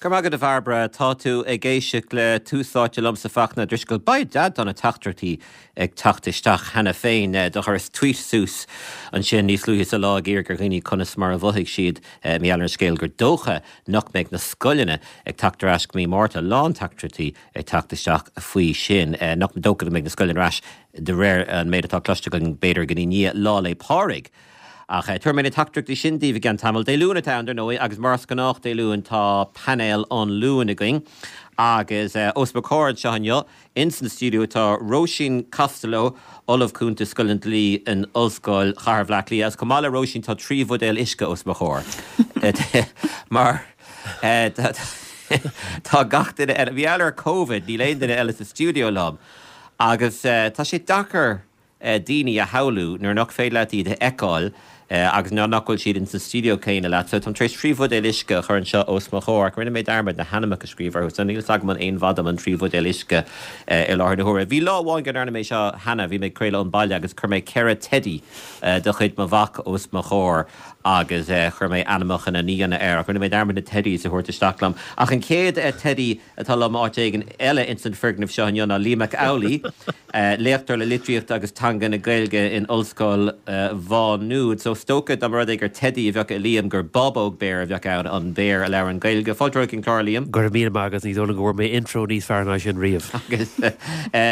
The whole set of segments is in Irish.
Go raibh maith agat a Bhairbre. Tá tú ag éisteacht le Tús Áite liomsa Fachtna Ó Drisceoil. By dad tá na teachtaireachtaí ag teacht isteach cheana féin. Do chuireas tweet suas ansin níos luaithe sa lá ag iarraidh ar dhaoine conas mar a mhothaigh siad mar gheall ar an scéal gur dócha nach mbeidh na scoileanna ag teacht ar ais go mí Márta. Lán teachtaireachtaí ag teacht isteach faoi sin. Nach dócha go mbeidh na scoileanna ar ais de réir an méid atá cloiste againn b'fhéidir go dtí i ndiaidh Lá 'le Pádraig. Ach tabharfaidh mé na teachtaireachtaí sin daoibh i gceann tamaill. Dé Luain atá ann, dar ndóigh, agus mar is gnách Dé Luain tá painéal an Luain againn. Agus os mo chomhair anseo inniu, ins an stiúideo, tá Róisín Costello, Ollamh Cúnta i Scoil an Dlí in Ollscoil Chathair Bhaile Átha Cliath. Agus chomh maith le Róisín tá 3 bhuidéal uisce os mo chomhair. Mar tá gach duine eile, mar gheall ar Covid, níl aon duine eile sa stiúideo liom. Agus tá sé deacair daoine a shamhlú nuair nach féidir leat iad a fheiceáil agus nuair nach bhfuil siad ins an stiúideo céanna leat. So táim tar éis 3 bhuidéal uisce a chur anseo os mo chomhair ach rinne mé dearmad na hainmneacha a scríobh orthu so níl fhios agam an aon mhaith dom an 3 bhuidéal uisce i láthair na huaire. Bhí lá amháin go ndearna mé seo cheana, bhí mé ag craoladh ón baile agus chuir mé 4 teidí de chuid mo mhac os mo chomhair agus chuir mé ainmneacha na n-aíonna air ach rinne mé dearmad na teidís a thabhairt isteach liom. Ach an chéad teidí atá liom áit éigin eile ins an foirgneamh seo inniu ná Liam Mac Amhlaigh, léachtóir le Litríocht agus Teanga na Gaeilge in Ollscoil Mhá Nuad. So is dócha dá mba rud é gur teidí a bheadh i Liam gur Bábóg Béar a bheadh ann, an béar a labhrann Gaeilge. Fáilte romhat chuig an chlár, a Liam. Go raibh míle maith agat, ní dóigh liom go bhfuair mé intro níos fearr ná sin riamh. Agus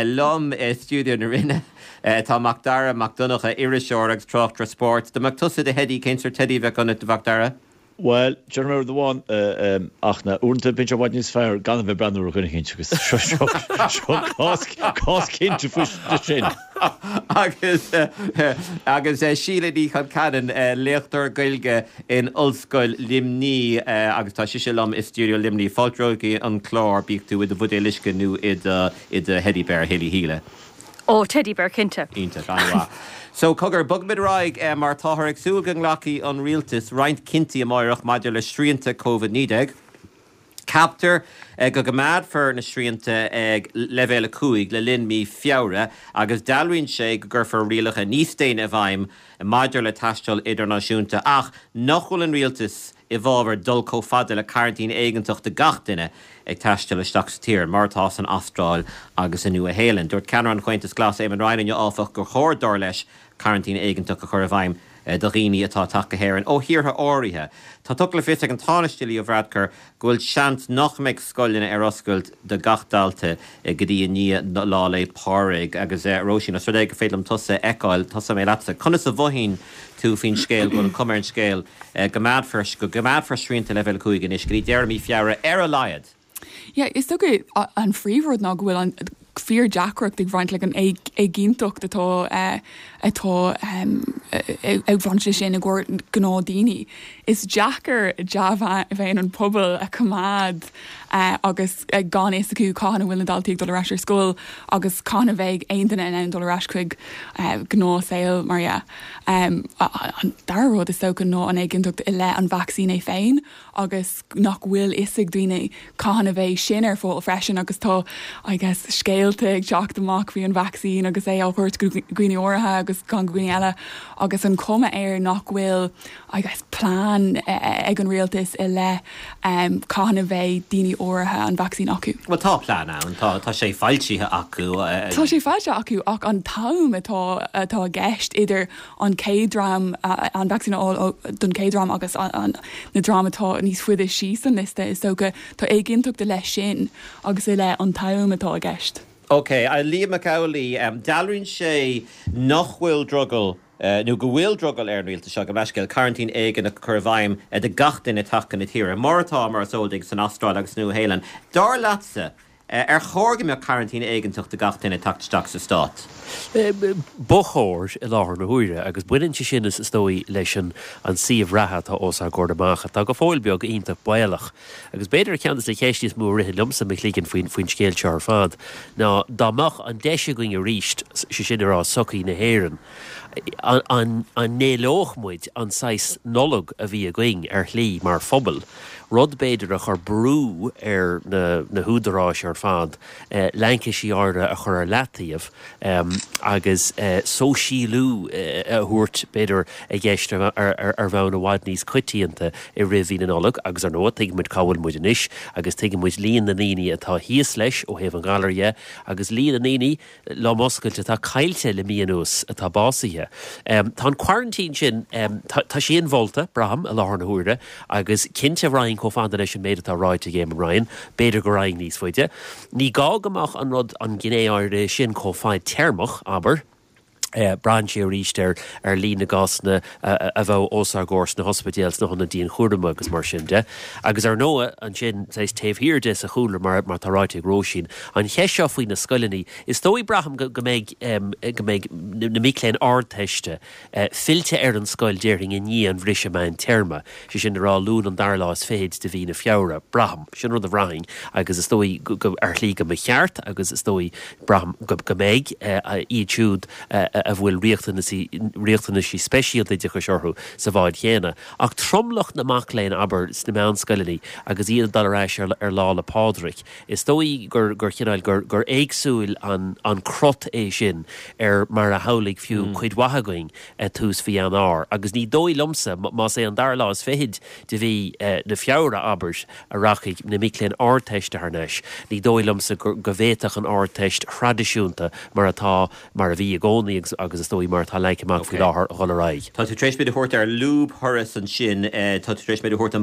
liom i stiúideo na Rinne tá Macdara Mac Donncha, iriseoir agus tráchtaire spóirt. Dá mbeadh tusa i do theidí, cén sórt teidí a bheadh ionat, a Mhacdara? Bhuel, déarfaidh mé rud amháin, ach na uaireanta bíonn sé i bhfad níos fearr gan a bheith ag breathnú ar dhuine eicínt agus seo seo cás cás cinnte faoi sin. Agus agus Síle Ní Chonceanainn, léachtóir Gaeilge in Ollscoil Luimnigh agus tá sise liom i stiúideo Luimnigh. Fáilte romhat chuig an chlár, bíodh tú i do bhuidéal uisce nó i do i do theidí béar, a Shíle. Ó, teddy bear, cinnte. Iontach, an-mhaith. So, cogar, bogfaimid ar aghaidh mar táthar ag súil go nglacfaidh an rialtas roinnt cinntí amáireach maidir le srianta Covid-19. Ceaptar go gcoimeádfar na srianta ag leibhéal 5 le linn mí Feabhra agus dealraíonn sé go gcuirfear rialacha níos déine i bhfeidhm maidir le taisteal idirnáisiúnta ach nach bhfuil an rialtas i bhfabhar dul chomh fada le coraintín éigeantach do gach duine ag taisteal isteach sa tír, mar atá san Astráil agus sa Nua-Shéalainn. Dúirt ceannaire an Chomhaontais Ghlais, Eamon Ryan inniu, áfach, gur chóir, dar leis, coraintín éigeantach a chur i bhfeidhm do dhaoine atá ag teacht go hÉirinn ó thíortha áirithe. Tá tugtha le fios ag an Tánaiste Leo Varadkar go bhfuil seans nach mbeidh scoileanna ar oscailt do gach dalta go dtí i ndiaidh Lá 'le Pádraig. Agus Róisín, os rud é gur féidir liom tusa a fheiceáil, tosóidh mé leatsa. Conas a mhothaíonn tú faoin scéal go bhfuil an chuma ar an scéal go gcoimeádfar go gcoimeádfar srianta leibhéal 5 anois go dtí deireadh mí Feabhra ar a laghad? Yeah, is dócha an phríomhrud ná go bhfuil an fíordheacracht ag bhaint le an éiginnteacht atá atá ag bhaint leis sin i gcomhair gnáthdhaoine. Is deacair dea-mhéin an pobail a choimeád agus gan fhios acu cathain a bhfuil na daltaí ag dul ar ais ar scoil agus cathain a bheidh aon duine in ann dul ar ais chuig gnáthshaol mar dhea. An dara rud is dócha ná an éiginnteacht i leith an vacsaín é féin agus nach bhfuil fhios ag daoine cathain a bheidh sin ar fáil freisin agus tá I guess scéalta ag teacht amach faoi an vacsaín agus é á thabhairt go dhaoine áirithe agus gan go dhaoine eile agus an chuma air nach bhfuil I guess plean ag an rialtas i leith cathain a bheidh daoine áirithe an vacsaín acu. Bhuel tá plean ann, tá tá sé foilsithe acu. Tá sé foilsithe acu ach an t-am atá atá i gceist idir an chéad dream an vacsaín a fháil don chéad dream agus an na dream atá níos faide síos an liosta is dócha tá éiginnteacht i leith sin agus i leith an t-am atá i gceist. Ok, a Liam Mac Amhlaigh, dealraíonn sé nach bhfuil drogall nó go bhfuil drogall ar an rialtas seo, gabh mo leithscéal, coraintín éigeantach a chur i bhfeidhm do gach duine ag teacht chun na tíre, mar atá, mar is eol duit, san Astráil agus sa Nua-Shéalainn. Dar leatsa, ar chóir go mbeadh coraintín éigeantach do gach duine ag teacht isteach sa stát? Ba chóir, i láthair na huaire, agus baineann sé sin, is dóigh, leis an suíomh reatha atá os ár gcomhair amach, atá go fóill beag iontach baolach. Agus b'fhéidir ceann de na ceisteanna is mó a ritheann liomsa i mo chloigeann faoin scéal seo ar fad ná dá mbeadh an deis againn arís, sé sin a rá sochaí na hÉireann. An n-éileodh muid an saghas Nollag a bhí againn ar shlí mar phobal, rud b'fhéidir a chuir brú ar na húdaráis ar fad laincisí áirithe a chur ar leataobh agus sóisialú a thabhairt b'fhéidir i gceist ar bhonn i bhfad níos coitianta i rith mhí na Nollag agus ar ndóigh tuigeann muid cá bhfuil muid anois agus tuigeann muid líon na ndaoine atá thíos leis ó thaobh an ghalair dhe agus líon na ndaoine lom oscailte atá caillte le mí anuas atá básaithe. Tá an quarantine sin, tá sé inmholta, braithim, i láthair na huaire agus cinnte raghainn chomh fada leis an méid atá ráite ag Eamon Ryan, b'fhéidir go raghainn níos faide. Ní gá go mbeadh an rud, an ghné áirithe sin chomh fadtéarmach, abair. Braitheann sé arís ar ar líon na gcásanna a bheadh os ár gcomhair sna hospidéil, sna hionaid dianchúraim agus mar sin de. Agus ar ndóigh, ansin, saghas taobh thiar de sa chúlra, mar atá ráite ag Róisín, an cheist seo faoi na scoileanna, is dóigh, braithim, go mbeidh go mbeidh na mic léinn Ardteiste fillte ar an scoil, déarfainn, i ndiaidh an bhriseadh meántéarma, sé sin le rá Luan an dara lá is fichid de mhí na Feabhra, braithim. Sin rud a bhraithfinn agus is dóigh go, ar shlí go mba cheart agus is dóigh, braithim, go mbeidh iad siúd a bhfuil riachtanaisí speisialta oideachais orthu sa bhád chéanna. Ach tromlach na mac léinn, abair, sna meánscoileanna agus iad ag dul ar ais ar Lá 'le Pádraig, is dóigh gur, gur chineál, gur, gur éagsúil an, an crot é sin ar mar a shamhlaigh fiú cuid mhaith againn tús mhí Eanáir. Agus ní dóigh liomsa, más é an dara lá is fichid de mhí na Feabhra, abair, a rachaidh na mic léinn Ardteiste thar n-ais, ní dóigh liomsa go bhféadfadh an Ardteist thraidisiúnta mar atá, mar a bhí i gcónaí agus agus is dóigh mar atá leagtha amach faoi láthair, a dhul ar aghaidh. Tá tú tar éis muid a thabhairt ar lúbthuras ansin, tá tú tar éis muid a thabhairt,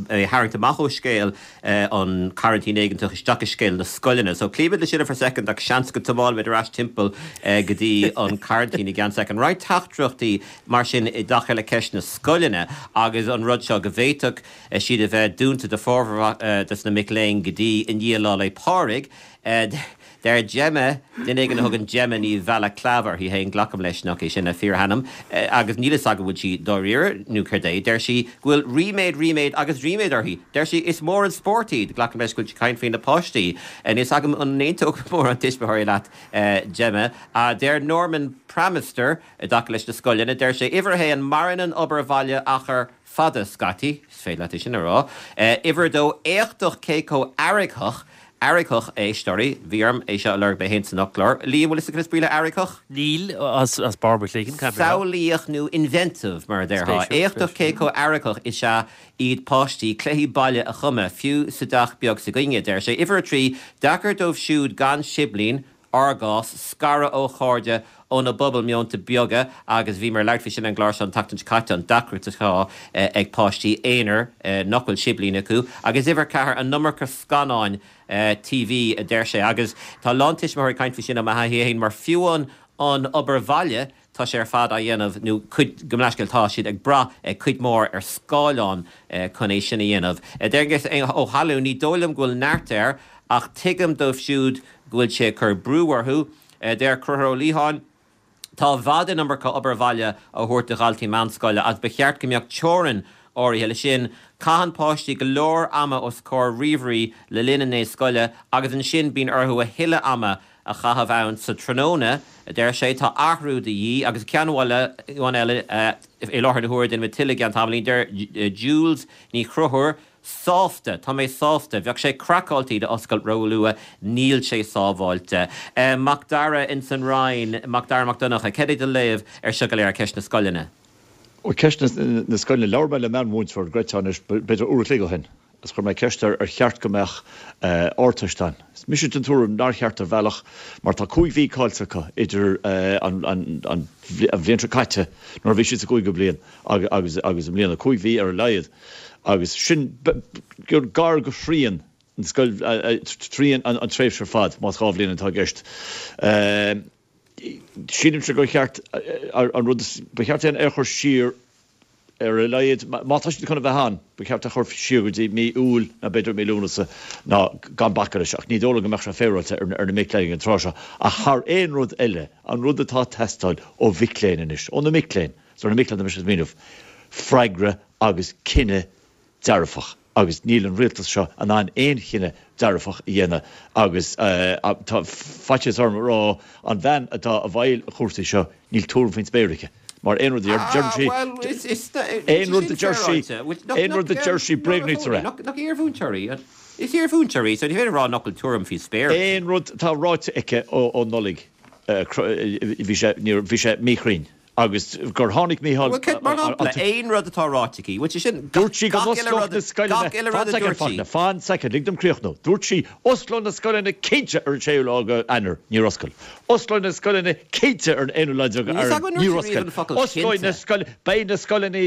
a tharraingt amach ó scéal an choraintín éigeantach isteach i scéal na scoileanna. So cloímid leis sin for a second ach seans go dtiomáinfimid ar ais timpeall go dtí an coraintín i gceann soicind. Roinnt teachtaireachtaí mar sin i dtaca le ceist na scoileanna agus an rud seo go bhféadfadh siad a bheith dúnta do formhór des na mic léinn go dtí i ndiaidh Lá 'le Pádraig. Deir Gemma, duine éigin a thugann Gemma Ní Bhealacláva uirthi féin, glacaim leis nach é sin a fíorainm, agus níl fhios agam an bhfuil sí dáiríre nó céard é, deir sí go bhfuil ríméad, ríméad agus ríméad uirthi. Deir sí, is mór an spórt iad. Glacaim leis go bhfuil sí ag caint faoi na páistí. Níl fhios agam an n-aontódh mórán tuismitheoirí leat, Gemma. Deir Norman Pramister, i dtaca leis na scoileanna, deir sé, uimhir a haon, maireann an obair bhaile achar fada scaití, is féidir leat é sin a rá. Uimhir a dó, éachtach cé chomh aireachach, aireachach, éisteoirí, bhí orm é seo a lorg mé féin san fhoclóir. Liam, bhfuil fhios agat cad is brí le aireachach? Níl, as barr mo chloiginn, caithfidh mé a rá. Samhlaíoch nó inventive, mar a déarfá. Éachtach cé chomh aireachach is ea iad páistí cluichí baile a chumadh, fiú sa dteach beag s'againne, deir sé. Uimhir a 3, deacair dóibh siúd gan siblín, ár gcás, scaradh ó chairde óna bpobal meonta beaga agus bhíomar ag labhairt faoi sin ar an gclár seo an tseachtain seo caite, an deacracht atá ag páistí aonair nach bhfuil siblín acu. Agus uimhir 4, an iomarca scannáin TV, a deir sé. Agus tá a lán tuismitheoirí ag caint faoi sin ó mo thaithí féin, mar fiú an an obair bhaile, Tá sé ar fad á dhéanamh, nó cuid, gabh mo leithscéal, tá siad ag brath cuid mhór ar scáileán chun é sin a dhéanamh. Deir Aengus Ó hAlmhain, ní dóigh liom go bhfuil neart air, ach tuigim dóibh siúd go bhfuil sé ag cur brú orthu. Deir Conchúr Ó Liatháin, tá i bhfad an iomarca obair bhaile á thabhairt do dhaltaí meánscoile agus ba cheart go mbeadh teorainn áirithe leis sin. Caitheann páistí go leor ama os comhair ríomhairí le linn an lae scoile agus ansin bíonn orthu a thuilleadh ama a chaitheamh ann sa tráthnóna, a deir sé. Tá athrú de dhíth. Agus ceann amháin eile i láthair na huaire, déanfaimid tuilleadh i gceann tamaillín, deir Jules Ní Chonchúir, Sásta, tá mé sásta. Bheadh sé craiceáilte iad a oscailt róluath, níl sé sábháilte. Mac Dara ins an Rinn, Mac Dara Mac Donncha, cad é do léamh ar seo go léir, ceist na scoileanna? Ó, ceist na scoileanna, labhair mé le meánmhúinteoir Greta anois b'fhéidir uair a chloig ó shin. Agus chuir mé ceist air ar cheart go mbeadh Ardteist ann. Is mise den tuairim nár cheart ar bhealach mar tá 5 mhí caillte acu idir an bhliain seo caite nuair a bhí siad sa gcúigiú bliain agus i mbliana, 5 mhí ar a laghad agus sin gar go thrian an scoil, trian an tréimhse ar fad más 2 bhliain atá i gceist. Sílimse gur cheart an rud is, ba cheart é a chur siar ar a laghad, má tá siad chun a bheith ann, ba cheart é a chur siar go dtí mí Iúil nó b'fhéidir mí Lúnasa ná gan bacadh leis. Ach ní dóigh liom go mbeadh sé féaráilte ar na mic léinn ag an tráth seo. Ach thar aon rud eile, an rud atá ag teastáil ó mhic léinn anois, ó na mic léinn, is ar na mic léinn atá mise ag smaoineamh, freagra agus cinneadh dearfach. Agus níl an rialtas seo in ann aon chinneadh dearfach a dhéanamh agus tá faitíos orm a rá, an bhean atá i bhfeighil an chúrsaí seo, níl tuairim faoin spéir aici. Mar aon rud a deireann sí, aon rud a deir sí, aon rud a deir sí, bréagnaítear é. Nach iarmhúinteoir í? Is iarmhúinteoir í, so ní féidir a rá nach bhfuil tuairim faoi spéir aici. Aon rud atá ráite aici ó Nollaig, bhí sé, bhí sé míchruinn. Agus gur tháinig Mícheál. Bhuel, céard, mar shampla, aon rud atá ráite aici, bhfuil sé sin, Dúirt sí go n-osclódh na scoileanna, gach uile rud a dúirt sí. Fan soicind, lig dom críochnú. Dúirt sí, osclóidh na scoileanna cinnte ar an séú lá de Eanáir, níor oscail. Osclóidh na scoileanna cinnte ar an aonú lá déag Eanáir, níor oscail. Osclóidh na scoileanna, beidh na scoileanna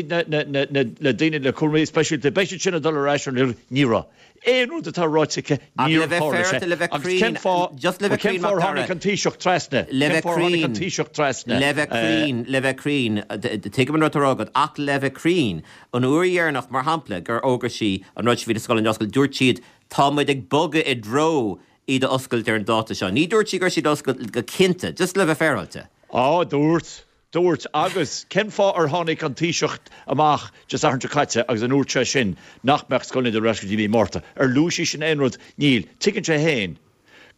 le daoine le cúraimí speisialta, beidh siad sin ag dul ar ais ar an, ní raibh. Aon rud atá ráite aici, níor tharla sé. Agus cén fáth, bhuel, cén fáth ar tháinig an Taoiseach trasna? Le bheith cruinn, Taoiseach trasna? Le bheith cruinn, le bheith cruinn, tuigim an rud atá á rá agat, ach le bheith cruinn, an uair dheireanach, mar shampla, gur fhógair sí an rud seo faoi na scoileanna a oscailt, dúirt siad, tá muid ag bogadh i dtreo iad a oscailt ar an dáta seo. Ní dúirt sí go raibh siad á oscailt go cinnte, just le bheith féaráilte. Á, dúirt. Dúirt, Agus cén fáth ar tháinig an Taoiseach amach Dé Sathairn seo caite agus an ndúirt sé sin nach mbeadh scoileanna ar ais go dtí mí Márta? Ar luaigh sí sin aon rud? Níl. Tuigeann sé féin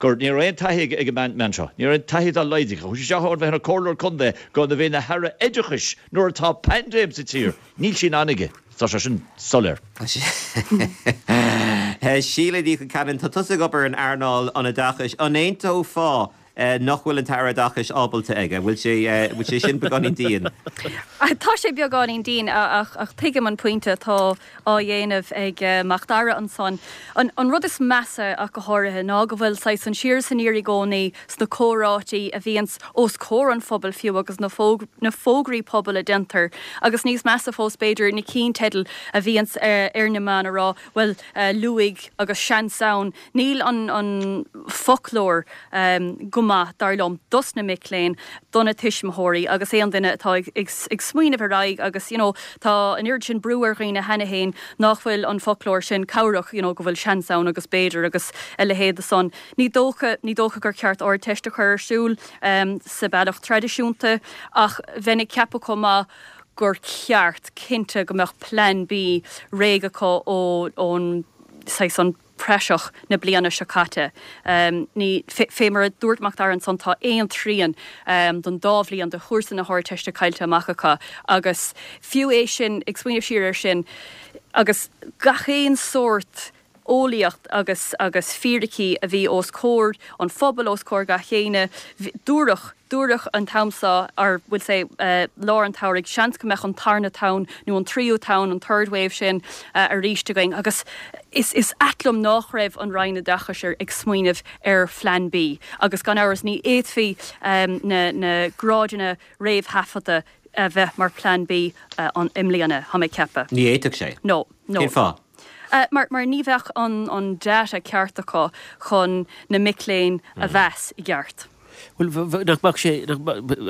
gur, ní raibh aon taithí ag an mbean seo. Ní raibh aon taithí dá laghad aici. Chuaigh sí isteach ó bheith ina comhairleoir contae go a bheith ina haire oideachais nuair atá paindéim sa tír. Níl sí in ann aige. Tá sé sin soiléir. Síle Ní Chonceanainn, tá tusa ag obair in earnáil an oideachais. An aontófá nach bhfuil an tAire Oideachais ábalta aige. Bhfuil sé, bhfuil sé sin beagáinín dian? Tá sé beagáinín dian ach, ach tuigim an pointe atá á dhéanamh ag Mac Dara ansan. An, an rud is measa ach go háirithe ná go bhfuil saghas an siar is aniar i gcónaí sna comhráití a bhíonns os comhair an phobail fiú agus na fóg, na fógraí pobail a déantar agus níos measa fós b'fhéidir na cinnteidil a bhíonns ar na meáin a rá bhuel luaigh agus seans ann. Níl an an foclóir go maith, dar liom, dos na mic léinn, do na tuismitheoirí agus aon duine atá ag ag smaoineamh ar aghaidh agus you know tá an oiread sin brú ar dhaoine cheana féin nach bhfuil an foclóir sin cabhrach, you know go bhfuil seans ann agus b'fhéidir agus a leithéid de san. Ní dócha, ní dócha gur ceart Ardteist a chur ar siúl sa bealach traidisiúnta ach bheinn ag ceapadh chomh maith gur ceart, cinnte, go mbeadh Plean B réidh acu ó ón saghas an praiseach na bliana seo caite. Ní, fé mar a dúirt Mac Dara ansan, tá aon trian den dá bhliain de chúrsa na hArdteiste caillte amach acu agus fiú é sin, ag smaoineamh siar air sin, agus gach aon sórt eolaíocht agus agus fíricí a bhí os comhair an phobail, os comhair gach éinne, dúradh, Dúradh an t-am seo, or we'll say lár an tsamhraidh, seans go mbeadh an tarna tonn nó an tríú tonn, an third wave sin arís againn agus is is ait liom nách raibh an Roinn Oideachais ar ag smaoineamh ar phlean B agus gan amhras ní fhéadfaí na na grádanna réamhthaifeadta a bheith mar plean B an i mbliana, tá mé ag ceapadh. Ní fhéadfadh sé. No, no. Cén fáth? Mar mar ní bheadh an an data ceart acu chun na mic léinn a mheas i gceart. Bhuel, nach mbeadh sé,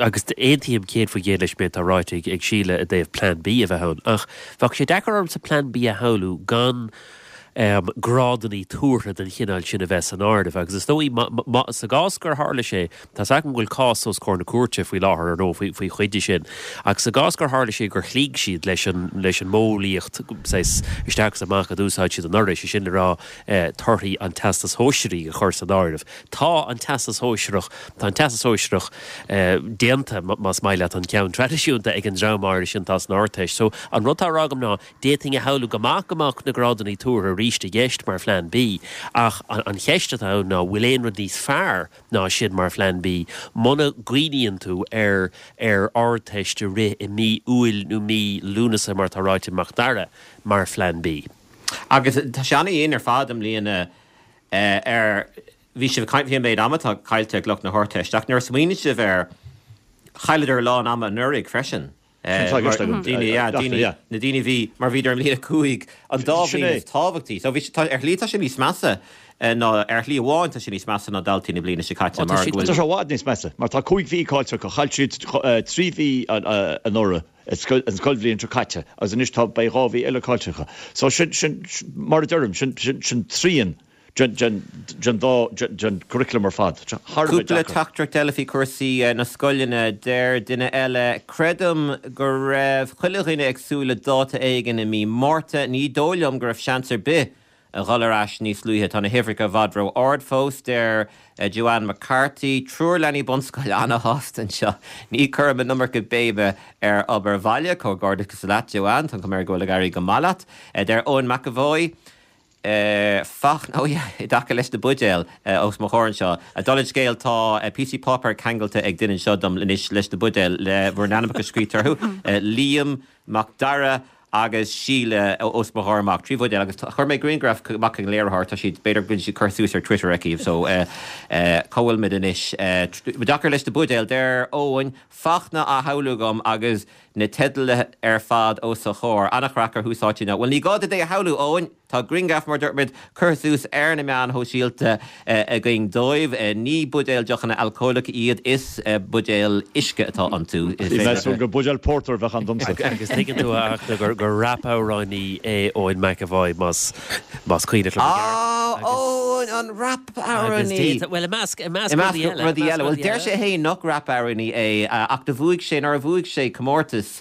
agus aontaím 100% leis an méid atá ráite ag Síle i dtaobh Plean B a bheith ann, ach bheadh sé deacair ormsa Plean B a shamhlú gan grádannaí tuartha den chineál sin a bheith san áireamh. Agus is dóigh, sa gcás gur tharla sé, tá's agam go bhfuil cás os comhair na cúirte faoi láthair, ar ndóigh, faoi chuid de sin, ach sa gcás gur tharla sé gur chloígh siad leis an leis an modheolaíocht saghas isteach is amach a d'úsáid siad anuraidh, sé sin le rá torthaí an Teastais Shóisearaigh a chur san áireamh, Tá an Teastas Sóisearach, tá an Teastas Sóisearach déanta, más maith leat, an ceann traidisiúnta ag an dream áirithe sin atá san Ardteist. So, an rud atá á rá agam ná, d'fhéadfainn a shamhlú go maith go mbeadh na grádannaí tuartha arís i gceist mar Phlean B, ach an cheist atá ann ná, bhfuil aon rud níos fearr ná sin mar Phlean B, muna gcuimhníonn tú ar ar Ardteist a rith i mí Iúil nó mí Lúnasa, mar atá ráite ag Mac Dara, mar Phlean B? Agus tá sé an-dhian ar fad i mbliana ar, bhí sibh ag caint faoi an méid ama atá caillte ag lucht na hArdteiste, ach nuair a smaoiníonn sibh air, chailleadar a lán ama anuraidh freisin. Sin atá i gceist agam. Daoine, yeah, daoine, yeah. na daoine a bhí, mar bhíodar i mbliain 5, an dá bhliain is tábhachtaí. So bhí, tá, ar shlí tá sé níos measa ná, ar shlí amháin tá sé níos measa ná daltaí na bliana seo caite mar go bhfuil. Tá sé i bhfad níos measa, mar tá 5 mhí caillte acu. Chaill siad 3 mhí anuraidh, an scoilbhliain seo caite, agus anois tá, beidh 2 mhí eile caillte acu. So sin, sin, mar a deirim, sin, sin, sin trian. den dá, den curriculum ar fad. Tá sé thar a bheith Cúpla deacair. teachtaireacht eile faoi chúrsaí na scoileanna. Deir duine eile, Creidim go raibh chuile dhuine ag súil le dáta éigin i mí Márta. Ní dóigh liom go raibh seans ar bith a dhul ar ais níos luaithe. Tá na huimhreacha i bhfad ró-ard fós, deir Joanne McCarthy. Triúr leanaí bunscoile ana-shásta anseo. Ní chuirim an iomarca béime ar obair bhaile. Comhghairdeachas leat, Joanne. Tá an chuma air go bhfuil ag éirí go maith leat. Deir Eoin McEvoy, Fach, oh yeah, i dtaca leis na buidéil os mo chomhair anseo. Dála an scéil, tá píosaí páipéir ceangailte ag duine anseo dom anois leis na buidéil le bhur n-ainmneacha scríte orthu, Liam Mac Dara agus Síle os mo chomhair amach, 3 bhuidéal agus chuir mé grianghraf amach chuig an léiritheoir, tá siad, b'fhéidir go bhfuil siad curtha suas ar Twitter aici, so cá bhfuil muid anois? I dtaca leis na buidéil, deir Eoin, Fachtna á shamhlú agam agus na teidil ar fad os a chomhair, an-chraic ar thús áite inniu. Bhuel ní gá duit é a shamhlú, Eoin! Tá grianghraf, mar a dúirt muid, curtha suas ar na meáin shóisialta againn dóibh. Ní buidéil deochanna alcólacha iad, is buidéil uisce atá iontu. Bhí mé ag súil gur buidéal pórtair a bheadh ann domsa. Agus tuigeann tú, a Fhachtna, gur rap-amhránaí é Eoin McEvoy, más cuimhneach liom i gceart. Á, Eoin, an rap-amhránaí! Bhuel, i measc rudaí eile. rudaí eile. Bhuel, deir sé féin nach rap-amhránaí é, ach do bhuaigh sé, nuair a bhuaigh sé comórtas,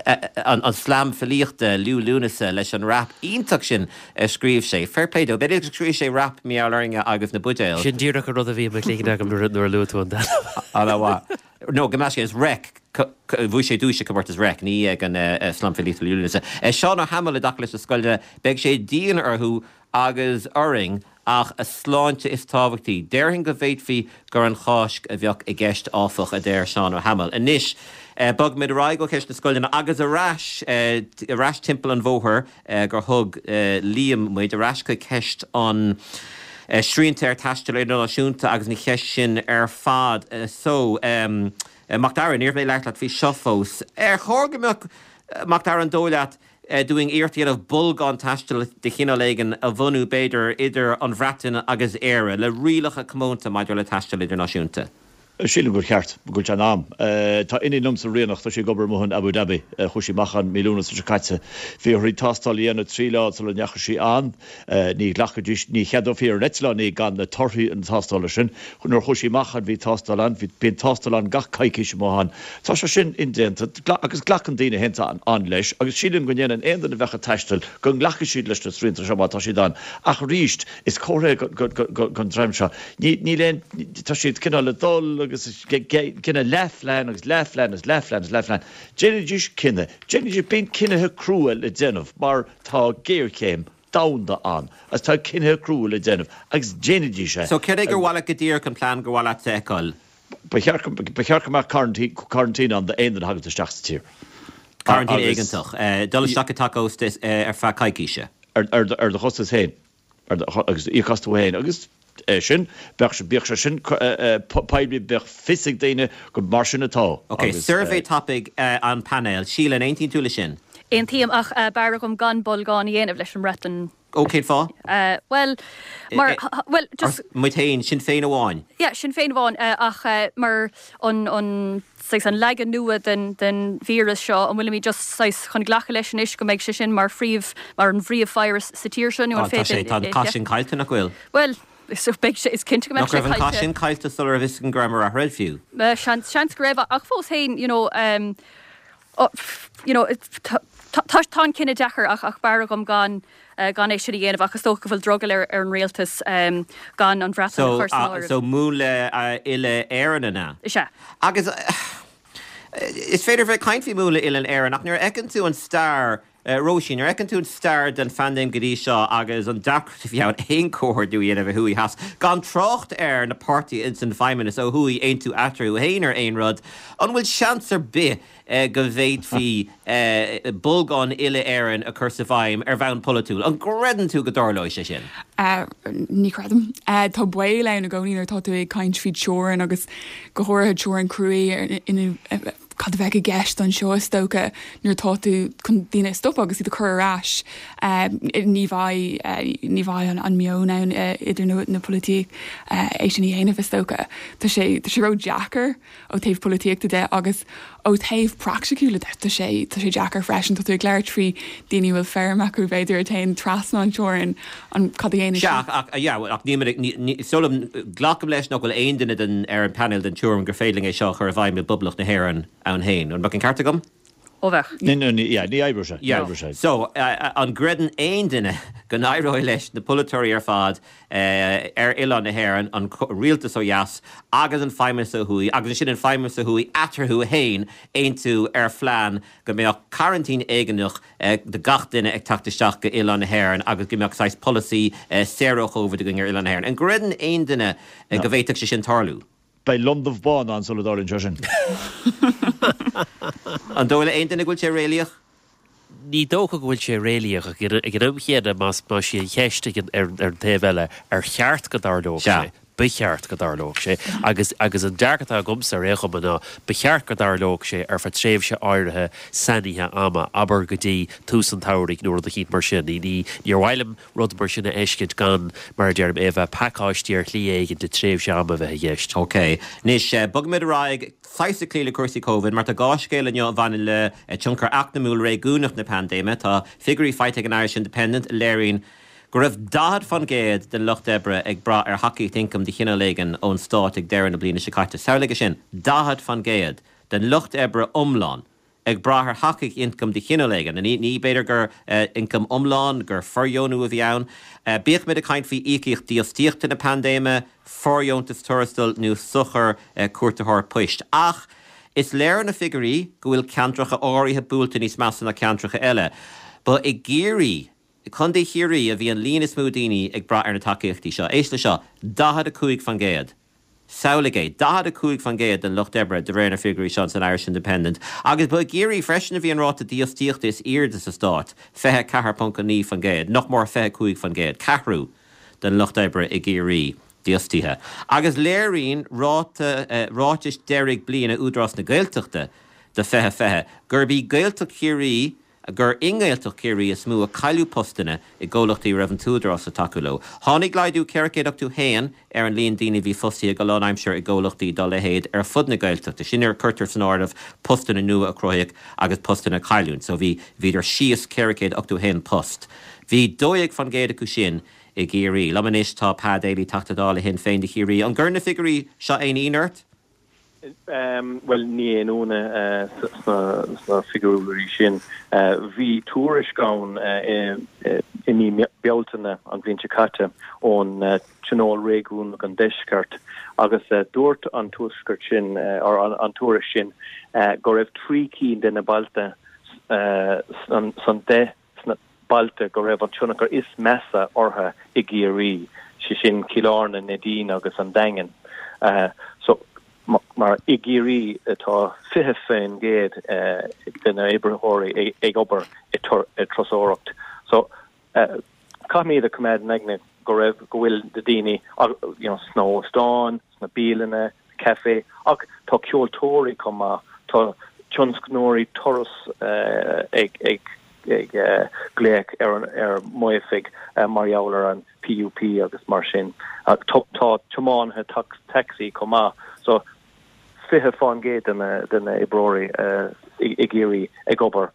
an slam filíochta Liú Lúnasa leis an rap iontach sin a scríobh sé. Fair play dó. B'fhéidir gur scríobh sé rap mar gheall orainne agus na buidéil. Sin díreach an rud a bhí i mo chloigeann agam nuair a luaigh tú an t-ainm. Ana-mhaith. No, gabh mo leithscéal, is Reic. Bhuaigh sé duais ag comórtas Reic, ní ag an slam filíochta Liú Lúnasa. Seán Ó hAdhmaill i dtaca leis na scoileanna, beidh sé dian orthu agus orainn ach a sláinte is tábhachtaí. Déarfainn go bhféadfaí gur an Cháisc a bheadh i gceist, áfach, a deir Seán Ó hAdhmaill. Anois, bogfaimid ar aghaidh ó cheist na scoileanna agus ar ais, ar ais timpeall an bhóthair gur thug Liam muid, ar ais chuig ceist an srianta ar taisteal idirnáisiúnta agus an cheist sin ar fad. So, Mac Dara, ní raibh mé ag labhairt leat faoi seo fós. Ar chóir go mbeadh, Mac Dara, an dóigh leat, dúinn iarracht a dhéanamh bolgán taistil de chineál éigin a bhunú, b'fhéidir, idir an Bhreatain agus Éire, le rialacha comónta maidir le taisteal idirnáisiúnta. Sílim gur cheart, go bhfuil sé in am. Tá iníon liom sa Ríocht, tá sí ag obair amuigh in Abu Dhabi. Chuaigh sí amach ann mí Lúnasa seo caite. Bhí uirthi tástáil a dhéanamh 3 lá sula ndeachaigh sí ann. Ní ghlacfaidís, ní cheadófaí ar an eitleán í gan na torthaí na tástála sin. Nuair a chuaigh sí amach ann bhí tástáil ann, bhí, bíonn tástáil ann gach coicís amuigh ann. Tá sé sin indéanta agus glacann daoine féin ann leis agus sílim go ndéanann aon duine a bheadh ag taisteal go nglacfaidh siad leis na srianta seo má tá siad ann. Ach arís, is comhartha é don dream seo, ní, níl aon, tá siad cineál ag dul agus cinneadh leathphlean agus leathphlean agus leathphlean agus leathphlean. Déanaidís cinneadh, déanaidís, bíonn cinnithe crua le déanamh mar tá géarchéim domhanda ann agus tá cinnithe crua le déanamh agus déanaidís é. So céard é gur mhaith leat go díreach an plean gur mhaith leat a fheiceáil? Ba cheart ba cheart go mbeadh quarantine ann d'aon duine a thagann isteach sa tír. Quarantine éigeantach. Dul isteach i dteach ósta ar feadh coicíse. Ar ar do chostas féin. Agus íoc as tú féin. Agus é sin, bheadh bíodh sé sin poiblí, bheadh fios ag daoine go mar sin atá. Ok, suirbhé tapaidh an painéal. Síle, an aontaíonn tú le sin? Aontaím, ach b'fhearr dhom gan bolgán a dhéanamh leis an mBreatain. Ó, cén fáth? Bhuel, mar, bhuel, just. Muid féin, sinn féin amháin. Yeah, sinn féin amháin, ach mar an, an, saghas an leagan nua den, den víreas seo, an bhfuilimid just saghas chun glacadh leis anois go mbeidh sé sin mar phríomh, mar an bpríomhvirus sa tír seo nó an Tá sé, féidir tá an cath sin caillte, nach bhfuil? Bhuel, is, beidh sé, is cinnte go mbeidh Nach sé raibh an cath caillte. sin caillte sula raibh fhios againn go raibh mar athraigh fiú? Seans, seans go raibh, ach fós féin, you know, you know, tá, tá, tá an cinneadh deacair ach, ach b'fhearr dhom gan, gan é sin a dhéanamh ach is dócha go bhfuil drogall ar an rialtas gan an Bhreatain a chur san áireamh. So múnla uile-Éireann an ea? Is ea. Agus is féidir bheith ag caint faoi mhúnla uile-Éireann ach nuair a fheiceann tú an stair, Róisín, nuair a fheiceann tú an stair den phaindéim go dtí seo agus an deacracht a bhí ann aon chomhordú a dhéanamh ó thuaidh theas, gan trácht ar na páirtithe ins an bhFeidhmeannas ó thuaidh aontú eatarthu féin ar aon rud, an bhfuil seans ar bith go bhféadfaí bolgán uile-Éireann a chur sa bhfeidhm ar bhonn polaitiúil. An gcreideann tú go dtarlóidh sé sin? Ní chreidim. Tá baol ann i gcónaí nuair atá tú ag caint faoi teorainn agus go háirithe teorainn cruaidh ina cad a bheadh i gceist anseo is dócha nuair atá tú chun daoine a stopadh agus iad a chur ar ais. Ní bheidh ní bheidh an meon ann idir na polaitíocha é sin a dhéanamh is dócha. Tá sé tá sé ró-deacair. ó taobh polaitíochta de agus. Ó thaobh praiticiúla de, tá sé, tá sé deacair freisin. Tá tú ag labhairt faoi daoine a bhfuil feirm acu, b'fhéidir, a théann trasna an teorainn, an, cad a dhéanfaidh Sea, siad? ach, ach, yeah, ach níl mé, ní, ní, is dóigh liom, glacaim leis nach bhfuil aon duine den, ar an bpainéal den tuairim gur féidir linn é seo a chur i bhfeidhm i bPoblacht na hÉireann ann féin. An mbeadh an ceart agam? Ó bheadh. Ní, ní, yeah, ní oibreoidh sé, ní Yeah. oibreoidh sé. So, an gcreideann aon duine go n-éireoidh leis na polaiteoirí ar fad ar oileán na hÉireann, an rialtas ó dheas agus an feidhmeannas ó thuaidh, agus ansin an feidhmeannas ó thuaidh eatarthu féin, aontú ar phlean go mbeadh coraintín éigeantach do gach duine ag teacht isteach go oileán na hÉireann agus go mbeadh saghas polasaí saor ó Chóvid againn ar oileán na hÉireann. An gcreideann aon duine go bhféadfadh sé sin tarlú? Beidh londubh bán ann sula dtarlaíonn sé sin. An dóigh le aon duine go bhfuil sé réalaíoch? Ní dócha go bhfuil sé réalaíoch ach ag an am chéanna más más í an cheist ag an ar an taobh eile ar cheart go dtarlódh sé, ba cheart go dtarlódh sé agus agus an dearcadh atá agamsa ar aon chuma ná ba cheart go dtarlódh sé ar feadh tréimhse áirithe sainithe ama, abair go dtí tús an tsamhraidh nó rud eicínt mar sin. Ní ní níor mhaith liom rud mar sin a fheiscint gan, mar a deirim, é a bheith pacáistithe ar shlí éigin le tréimhse ama a bheith i gceist. Ok. Anois, bogfaimid ar aghaidh saghas ag cloí le cúrsaí Covid, mar tá dhá scéal inniu a bhaineann le tionchar eacnamúil réigiúnach na paindéime. Tá figiúirí faighte ag an Irish Independent a léiríonn go raibh 40% den lucht oibre ag brath ar thacaíocht ioncaim de chineál éigin ón stát ag deireadh na bliana seo caite. Samhlaigh é sin, 40% den lucht oibre iomlán ag brath ar thacaíocht ioncaim de chineál éigin. Ní, ní b'fhéidir gur ioncam iomlán, gur fordheonú a bhí ann. Bíodh muid ag caint faoi íocaíocht dífhostaíochta na paindéime, fóirdheontas tuarastail nó sochar cuartaitheoir poist. Ach is léir ó na figiúirí go bhfuil ceantracha áirithe buailte níos measa ná ceantracha eile. Ba i gCiarraí, i gContae Chiarraí a bhí an líon is mó daoine ag brath ar na tacaíochtaí seo. Éist le seo, 45%. Samhlaigh é, 45% den lucht oibre, de réir na figiúirí seo san Irish Independent. Agus ba i gCiarraí freisin a bhí an ráta dífhostaíochta is airde sa stát, 24.9%, nach mór 25%, ceathrú den lucht oibre i gCiarraí dífhostaithe. Agus léiríonn ráta, ráitis deiridh bliana Údarás na Gaeltachta do 2020 gurb í Gaeltacht Chiarraí gur i nGaeltacht Chiarraí is mó a cailleadh postanna i gcomhlachtaí a raibh an tÚdarás ag tacú leo. Tháinig laghdú 481 ar an líon daoine a bhí fostaithe go lánaimseartha i gcomhlachtaí dá leithéid ar fud na Gaeltachta, sin nuair a cuirtear san áireamh postanna nua a cruthaíodh agus postanna a cailleadh. So bhí, bhíodar síos 481 post. Bhí 12% acu sin i gCiarraí. Liom anois tá Pa Daly, Teachta Dála Shinn Féin do Chiarraí. An gcuireann na figiúirí seo aon ionadh ort? Bhuel, ní aon ionadh sna figiúirí sin. Bhí tuairisc ann i mí Bealtaine an bhliain seo caite ón Tionól Réigiúnach an Deiscirt agus dúirt an tuairisc sin, or an tuairisc sin, go raibh trí cinn de na bailte san 10 sna bailte go raibh an tionchar is measa orthu i gCiarraí, sé sin Cill Airne, Neidín agus an Daingean. So, mar i gCiarraí tá 20% de na oibritheoirí ag obair i turasóireacht. So, caithfimid a choimeád in aigne go raibh, go bhfuil na daoine, you know, sna hóstáin, sna bialanna, café, ach tá ceoltóirí chomh maith, tá tionscnóirí turas ag ag ag glaoch ar ar m'oifig mar gheall ar an PUP agus mar sin. Tá tiománaithe tacsaí chomh maith. So 20% de na de na oibreoirí i gCiarraí ag obair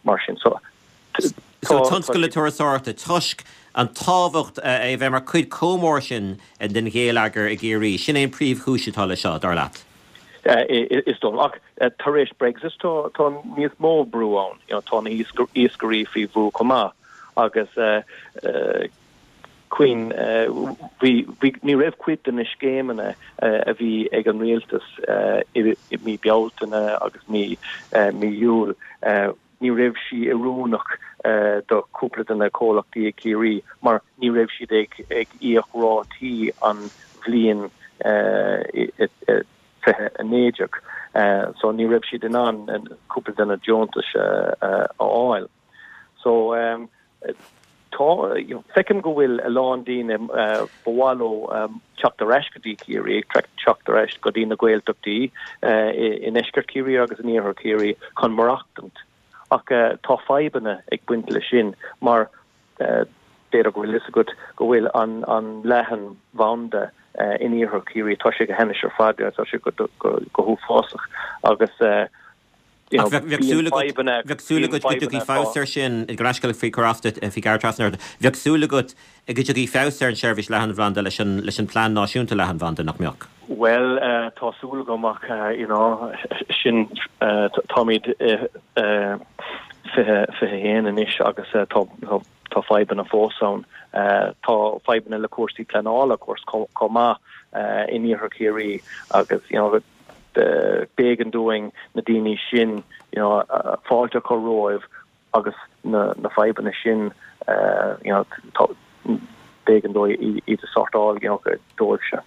mar sin. So So tionscal na turasóireachta, toisc an tábhacht é a bheith mar cuid chomh mór sin den gheilleagar i gCiarraí, sin é an príomhchúis atá leis seo, dar leat? Is dóigh. Ach tar éis Brexit tá níos mó brú ann. Tá na hiascairí faoi bhrú chomh maith agus cuimhin, bhí, bhí, ní raibh cuid de na scéimeanna a bhí ag an rialtas i mí Bealtaine agus mí Iúil, Ní raibh sí oiriúnach do chúpla de na comhlachtaí i gCiarraí mar ní raibh siad ag íoc rátaí an bhliain 2019 so ní raibh siad in ann cúpla de na deontais a fháil. So tá, feicim go bhfuil a lán daoine ba mhaith leo teacht ar ais go dtí Ciarraí, teacht ar ais go dtí na Gaeltachtaí i ndeisceart Chiarraí agus in iarthar Chiarraí chun maireachtaint. Ach tá fadhbanna ag baint leis sin mar b'fhéidir go bhfuil fhios agat go bhfuil an leathanbhanda. in iarthar Chiarraí, tá sé go hainnis ar fad, tá sé go huafásach agus you know, Bheadh súil agat, bheadh súil agat go dtiocfaidh feabhas air sin, gabh mo leithscéal faoi chur as duit, faoi ghearradh trasna ort, bheadh súil agat go dtiocfaidh feabhas ar an tseirbhís leathanbhanda leis an, leis an bPlean Náisiúnta Leathanbhanda, nach mbeadh? Bhuel, tá súil agam ach, you know, sin, táimid i 2021 anois agus tá, tá fadhbanna fós ann. Tá fadhbanna le cúrsaí pleanála, of course, chomh maith in iarthar Chiarraí agus, you know, b'éigean dúinn na daoine sin, you know, fáilte a chur rompu agus na fadhbanna sin, you know, b'éigean dóibh iad a sortáil, you know, dóibhse.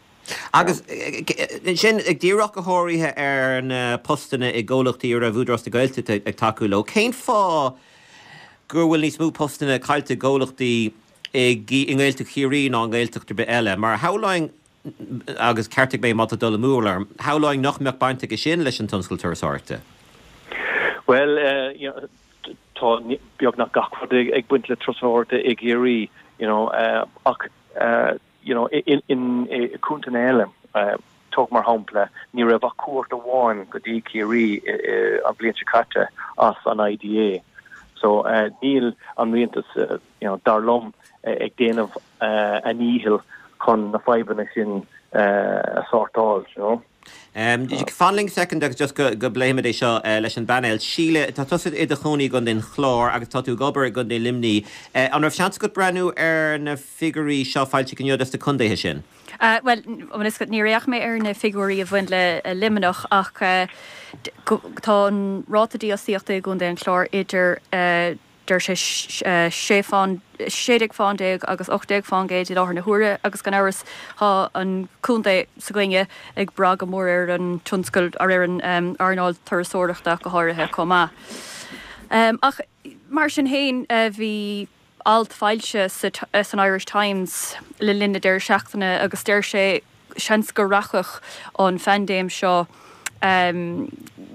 Agus ansin, ag díriú go háirithe ar na postanna i gcomhlachtaí a raibh Údarás na Gaeltachta ag tacú leo, cén fáth go bhfuil níos mó postanna caillte i gcomhlachtaí i nGaeltacht Chiarraí ná i nGaeltacht ar bith eile? Mar shamhlóinn, agus ceartaigh mé má tá dul amú orm, shamhlóinn nach mbeadh baint aige sin leis an tionscal turasóireachta. Bhuel, tá beagnach gach rud ag baint le turasóireacht i gCiarraí, you know, ach you know, i gcontaetha eile, tóg mar shampla, ní raibh ach cuairt amháin go dtí Ciarraí an bhliain seo caite as an IDA. So níl an rialtas, you know, dar liom, ag déanamh a ndícheall chun na fadhbanna sin a shórtáil, you know. Fan linn soicind agus just go bpléifimid é seo leis an bpainéal. Síle, tá tusa i do chónaí i gContae an Chláir agus tá tú ag obair i gContae Luimnigh. An raibh seans agat breathnú ar na figiúirí seo foilsithe inniu dos na contaetha sin? Bhuel, níor fhéach mé ar na figiúirí a bhain le Luimneach ach tá an ráta dífhostaíochta i gContae an Chláir idir Deir sé 16 fán agus 18 fán gcéad i láthair na huaire agus gan amhras tá an contae s'againne ag brath go mór ar an tionscal, ar an earnáil turasóireachta ach go háirithe chomh maith. Ach mar sin féin bhí alt foilsithe san Irish Times le linn na deireadh seachtaine agus deir sé seans go rachadh an phaindéim seo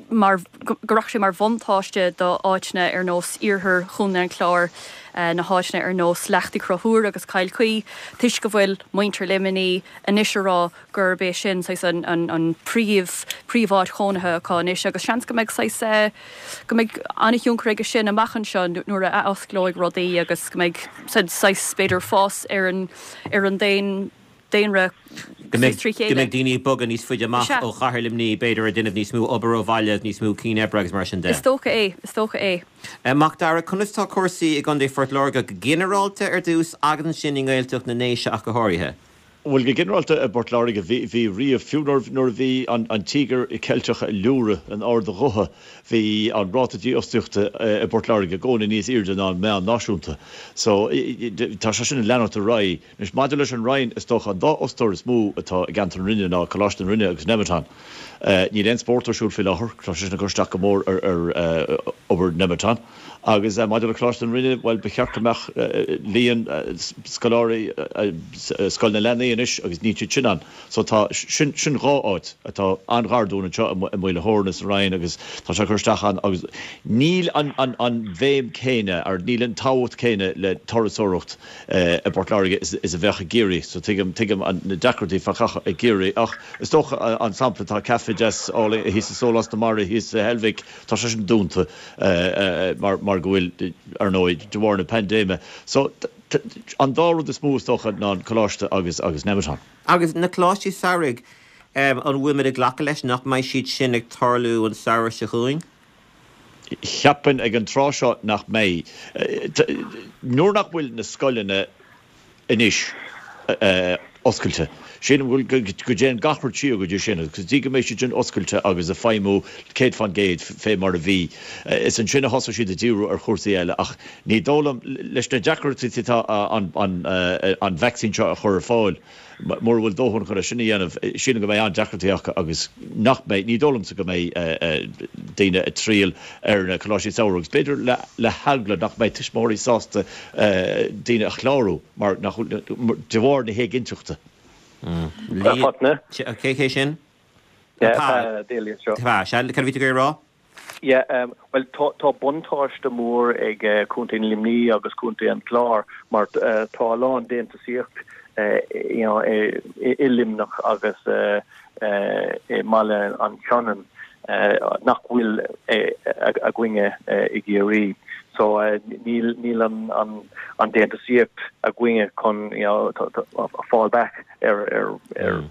mar, go rachadh sé mar bhuntáiste do áiteanna ar nós iarthar Chontae an Chláir, na háiteanna ar nós Leacht Uí Chonchúir agus Cill Chaoi, toisc go bhfuil muintir Luimnigh anois a rá gurb é sin saghas an an príomh príomháit chónaithe acu anois agus seans go mbeidh saghas go mbeidh an-thionchar aige sin amach anseo nuair a athosclóidh rudaí agus go mbeidh saghas b'fhéidir fás ar an ar an daon daonra Go mbeidh, go mbeidh daoine ag bogadh níos faide amach ó chathair Luimnigh, b'fhéidir, ag déanamh níos mó obair ó bhaile, níos mó cinn oibre agus mar sin de. Is dócha é, is dócha é. Mac Dara, conas tá cúrsaí i gContae Phort Láirge go ginearálta ar dtús agus ansin i nGaeltacht na nDéise ach go háirithe? Bhuel, go ginearálta i bPort Láirge, bhí, bhí riamh, fiú nuair, nuair a bhí an, an Tíogar Ceilteach ag liúradh in ard a ghutha, bhí an ráta dífhostaíochta i bPort Láirge i gcónaí níos airde ná an meán náisiúnta. So, tá sé sin ag leanacht ar aghaidh. Anois, maidir leis an Rinn, is dócha an dá fhostóir is mó atá i gceantar na Rinne ná Coláiste na Rinne agus Nemeton. Níl aon spórt ar siúl faoi láthair, tá sé sin ag cur isteach go mór ar obair Nemeton. Agus maidir le Coláiste na Rinne, bhuel, ba cheart go mbeadh líon scoláirí Scoil na Leanaí anois agus níl siad sin ann. So tá, sin, sin dhá áit atá an-ghar dúinn anseo i Maoil a' Thóirne sa Rinn agus tá sé ag cur isteach ann agus níl an, an, an bhéim céanna, or níl an tábhacht céanna le turasóireacht i bPort Láirge is a bheadh i gCiarraí. So tuigim, tuigim na deacrachtaí fá choinne i gCiarraí ach is dócha an sampla tá caife deas álainn thíos i Sólás na Mara thíos sa Heilbhic, tá sé sin dúnta mar, mar go bhfuil, ar ndóigh, de bharr na paindéime. So an dá rud is mó is dócha ná an coláiste agus, agus Nemeton. Agus na coláistí samhraidh, an bhfuilimid ag glacadh leis nach mbeidh siad sin ag tarlú an samhradh seo chugainn? Cheapfainn ag an tráth seo nach mbeidh. Nuair nach bhfuil na scoileanna anois oscailte, sílim go dtéann gach rud siar go dtí sin agus go dtí go mbeidh siad sin oscailte agus ag feidhmiú 100% fé mar a bhí, is ansin a thosóidh siad ag díriú ar chúrsaí eile. Ach ní dóigh liom, leis na deacrachtaí atá an vacsaín seo a chur ar fáil, Mura bhfuil dóthain chun é sin a dhéanamh, sílim go mbeidh an-deacrachtaí acu agus nach mbeidh, ní dóigh liomsa go mbeidh daoine ag triall ar na coláistí samhraidh agus b'fhéidir le heagla nach mbeidh tuismitheoirí sásta daoine a chlárú mar nach, de bharr na héiginnteachta. Fachtna. Cé hé sin? Pa. Pa. Sea, cad a bhí tú ag iarraidh a rá? Yeah, bhuel tá buntáiste mór ag Contae Luimnigh agus Contae an Chláir mar tá a lán déantúsaíocht. you know, i Luimneach agus i mBaile an tSionainn nach bhfuil againne i gCiarraí. So níl níl an an an déantúsaíocht againne chun you know, fall back ar ar ar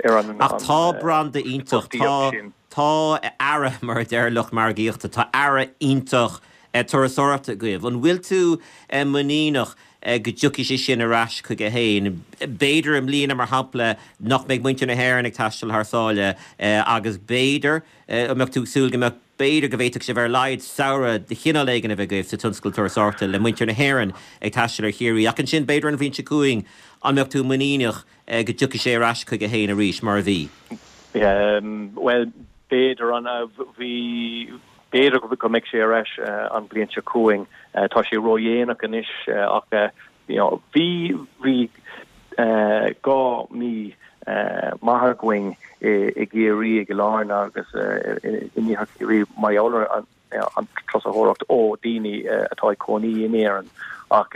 ar an Ach tá branda iontach, tá tá earra mar a deir lucht margaíochta, tá earra iontach turasóireachta agaibh. An bhfuil tú muiníneach go dtiocfaidh sé sin ar ais chuige féin? B'fhéidir i mbliana, mar shampla, nach mbeidh muintir na hÉireann ag taisteal thar sáile agus b'fhéidir, an mbeadh tú ag súil go mbeadh, b'fhéidir go bhféadfadh sibh ar a laghad samhradh de chineál éigin a bheith agaibh sa tionscal turasóireachta le muintir na hÉireann ag taisteal ar Chiarraí. Ach ansin, b'fhéidir an bhliain seo chugainn, an mbeadh tú muiníneach go dtiocfaidh sé ar ais chuige féin arís mar a bhí? Bhuel, b'fhéidir an, bhí, B'fhéidir go mbeidh sé ar ais an bhliain seo chugainn. Tá sé ródhéanach anois ach you know bhí bhí 2 mí maith againn i gCiarraí, i gCill Airne agus in iarthar Chiarraí mar gheall ar an turasóireacht ó daoine atá ag cónaí in Éirinn ach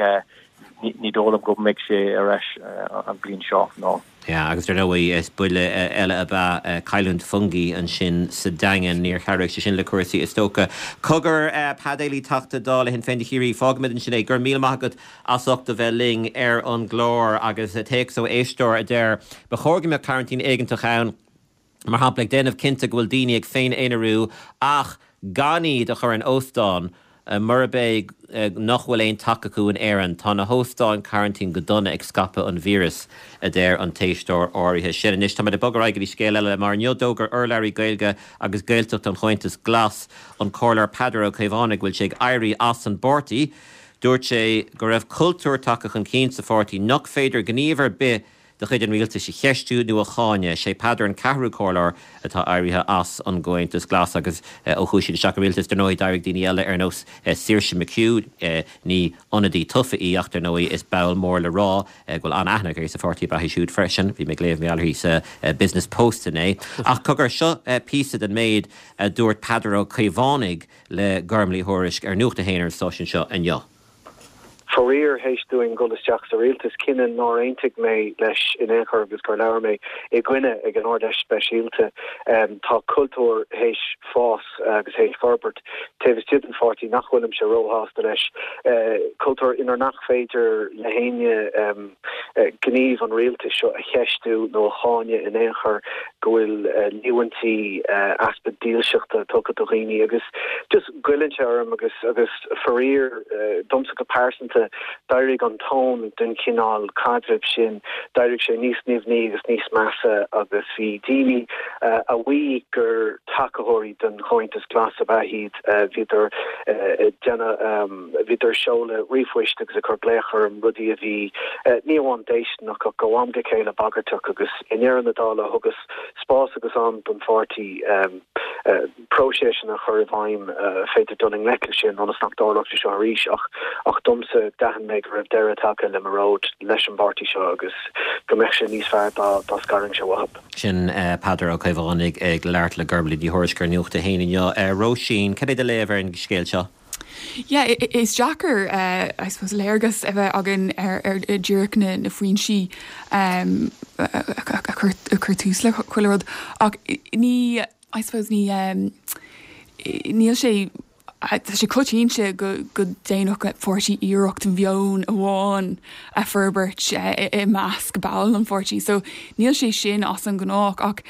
ní dóigh liom go mbeidh sé ar ais an bhliain seo, no. Yeah, agus dar ndóigh, is buille eile ab ea cailliúint Fungie ansin sa Daingean. Níor chabhraigh sé sin le cúrsaí, is dócha. Cogar, Pead Éilí, Teachta Dála Shinn Féin do Chiarraí, fágfaimid ansin é. Go raibh míle maith agat as ucht a bheith linn ar an gclár. Agus téacs ó éisteoir a deir, Ba chóir go mbeadh cearantín éigeantach ann. mar shampla, ag déanamh cinnte go bhfuil daoine ag féin-aonarú ach gan iad a chur in óstán murab é nach bhfuil aon teach acu in Éirinn. Tá na hóstáin cearantín go dona ag scaipeadh an víreas, a deir an t-éisteoir áirithe sin. Anois táimid ag bogadh ar aghaidh go dtí scéal eile, mar inniu d'fhógair urlabhraí Gaeilge agus Gaeltachta an Chomhaontais Glas, an Comhairleoir Peadar Ó Caomhánaigh, go bhfuil sé ag éirí as an bpáirtí. Dúirt sé go raibh cultúr tagtha chun cinn sa pháirtí nach féidir gníomh ar bith de chuid an rialtais a cheistiú nó a cháineadh. Sé Peadar an ceathrú comhairleoir atá éirithe as an gComhaontas Glas agus ó chuaigh siad isteach i rialtas, dar ndóigh, d'éirigh daoine eile ar nós Saoirse McHugh, ní ionadaí tofa í ach dar ndóigh is ball mór le rá go bhfuil an-aithne uirthi sa pháirtí ab ea í siúd freisin. Bhí mé ag léamh mar gheall uirthi sa Business Post inné. Ach cogar, seo píosa den méid a dúirt Peadar Ó Caomhánaigh le Gormlaith Uí Thuairisg ar Nuacht a hAon ar an stáisiún seo inniu. Faraor, théis dúinn dul isteach sa rialtas, cinneadh nár aontaigh mé leis in aon chor agus gur labhair mé i gcoinne ag an Ard-Fheis Speisialta, tá cultúr théis fás agus théis forbairt taobh istigh den pháirtí nach bhfuilimse róshásta leis, cultúr inar nach féidir le héinne gníomh an rialtais seo a cheistiú nó a cháineadh in aon chor, go bhfuil líomhaintí easpa dílseachta tugtha do dhaoine agus just goilleann sé orm agus agus faraor domsa go pearsanta d'éirigh an tón den chineál caidrimh sin, d'éirigh sé níos nimhní agus níos measa agus bhí daoine a mhaígh gur tacaitheoirí den Chomhaontas Glas ab ea iad, bhíodar ag déanamh, bhíodar ag seoladh ríomhphoist agus ag cur glaoch orm, rudaí a bhí ní amháin déistineach ach ó am go chéile bagartach agus i ndeireadh na dála thugas spás agus am don pháirtí. próiseasanna a chur i bhfeidhm féidir dul i ngleic leis sin ionas nach dtarlódh sé seo arís ach ach domsa d'aithin mé go raibh deireadh tagtha le mo ród leis an bpáirtí seo agus go mbeadh sé níos fearr dá dá scarfainnse uathu. Sin Peadar Ó Caomhánaigh ag labhairt le Gormlaith Ní Thuairisg ar Nuacht a hAon inniu. Róisín, cad é do léamh ar an scéal seo? Yeah, is deacair I suppose léargas a bheith againn ar ar díreach na na foinsí a chuir tús le chuile rud ach ní I suppose ní níl sé tá sé coitianta go go ndéanfadh páirtí iarracht mheon amháin a forbairt i measc ball an pháirtí so níl sé sin as an ngnách ach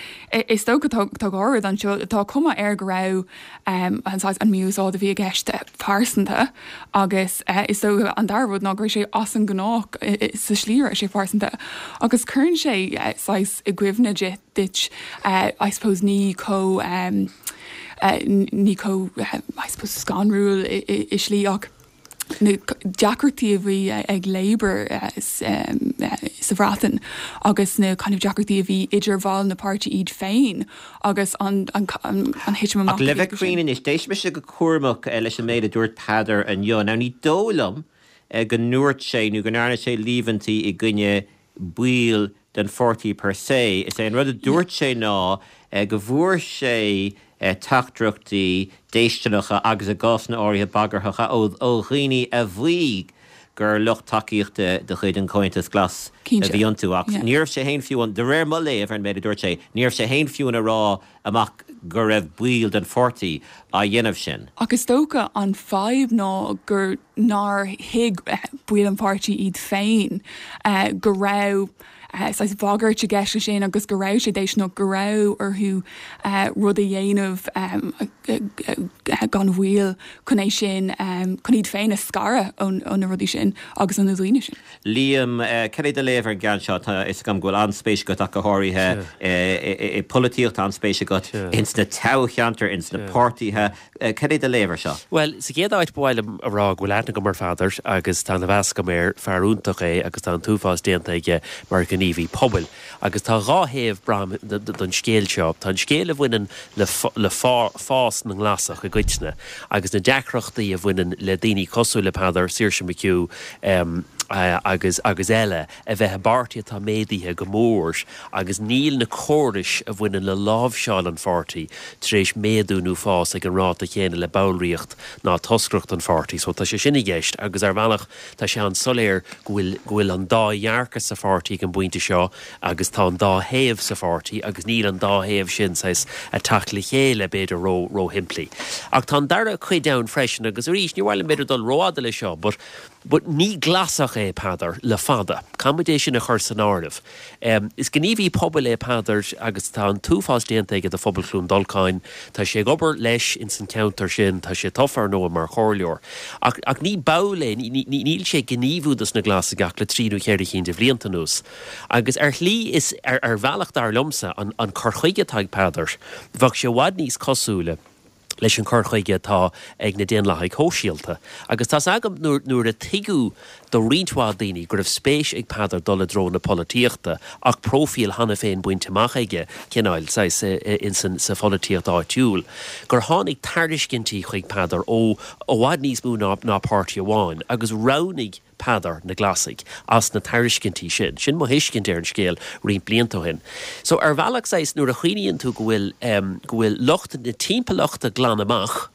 is dócha tá tá dhá rud anseo tá cuma air go raibh an saghas an mí-úsáid a bhí i gceist pearsanta agus is dócha an dara rud ná go raibh sé as an ngnách sa slí a raibh sé pearsanta agus cuireann sé saghas i gcuimhne duit I suppose ní chomh ní chomh I suppose scanrúil i slí ach na deacrachtaí a bhí ag Labour sa Bhreatain agus na kind of deacrachtaí a bhí idir bhaill na páirtí iad féin agus an thitim amach Ach le bheith cruinn anois, d'éist mise go cúramach leis an méid a dúirt Peadar inniu. Now ní dóigh liom go ndúirt sé nó go ndearna sé líomhaintí i gcoinne baill den pháirtí per se. Is é an rud a dúirt sé ná go bhfuair sé teachtaireachtaí déistineacha agus i gcásanna áirithe bagarthacha ó dhaoine a mhaígh. gur lucht tacaíochta de chuid an Chomhaontais Ghlais a bhí iontu ach ní raibh sé féin fiú ann, de réir mo léamh ar an méid a dúirt sé, ní raibh sé féin fiú ann a rá amach go raibh baill den pháirtí á dhéanamh sin. Ach is dócha an fadhb ná gur nár thuig baill an pháirtí iad féin go raibh saghas bagairt i gceist leis sin agus go raibh sé déisteanach, go raibh orthu rud a dhéanamh gan mhoill chun é sin, chun iad féin a scaradh ó na rudaí sin agus ó na daoine sin. Liam, cad é do léamh ar an gceann seo? Tá a fhios agam go bhfuil an-spéis agat ach go háirithe i bpolaitíocht, tá an-spéis agat ins na toghcheantair, ins na páirtithe. Cad é do léamh ar seo? Bhuel, sa chéad áit ba mhaith liom a rá go bhfuil aithne agam ar Pheadar agus tá ana-mheas agam air, fear iontach é agus tá an t-uafás déanta aige mar ghníomhaí pobail. Agus tá dhá thaobh, braithim, don scéal seo. Tá an scéal a bhaineann le le fás na nGlasach i gcoitinne agus na deacrachtaí a bhaineann le daoine cosúil le Peadar, Saoirse McHugh agus agus eile a bheith i bpáirtí atá méadaithe go mór agus níl na córais a bhaineann le láimhseáil an pháirtí tar éis méadú nó fás ag an ráta chéanna le ballraíocht ná toscaireacht an pháirtí. So tá sé sin i gceist agus ar bhealach Tá sé an-soiléir go bhfuil go bhfuil an dá dhearcadh sa pháirtí ag an bpointe seo agus tá an dá thaobh sa pháirtí agus níl an dá thaobh sin saghas ag teacht le chéile b'fhéidir ró róshimplí. Ach tá an dara cuid ann freisin agus arís ní mhaith liom b'fhéidir dul rófhada le seo but but ní Glasach é Peadar le fada. Caithfimid é sin a chur san áireamh. Is gníomhaí pobail é Peadar agus tá an t-uafás déanta aige do phobal Chluain Dolcáin. Tá sé ag obair leis ins an ceantar sin, tá sé tofa ar ndóigh mar chomhairleoir. Ach ach ní ball é, níl sé ag gníomhú dos na Glasaigh ach le trí nó cheithre cinn de bhlianta anuas. Agus ar shlí is ar ar bhealach dar liomsa an an cur chuige atá ag Peadar, bheadh sé i bhfad níos cosúla leis an chur chuige atá ag na Daonlathaigh Shóisialta. Agus tá's agam nuair, nuair a tuigeadh do roinnt mhaith daoine go raibh spéis ag Peadar dul i dtreo na polaitíochta ach próifíl cheana féin bainte amach aige, cineál, saghas, ins an, sa pholaitíocht áitiúil, gur tháinig tairiscintí chuig Peadar ó i bhfad níos mó ná, ná páirtí amháin agus roghnaigh Peadar na Glasaigh as na tairiscintí sin. Sin mo thuiscint ar an scéal roinnt blianta ó shin. So ar bhealach saghas nuair a chuimhníonn tú go bhfuil em go bhfuil lucht na timpeallachta glan amach,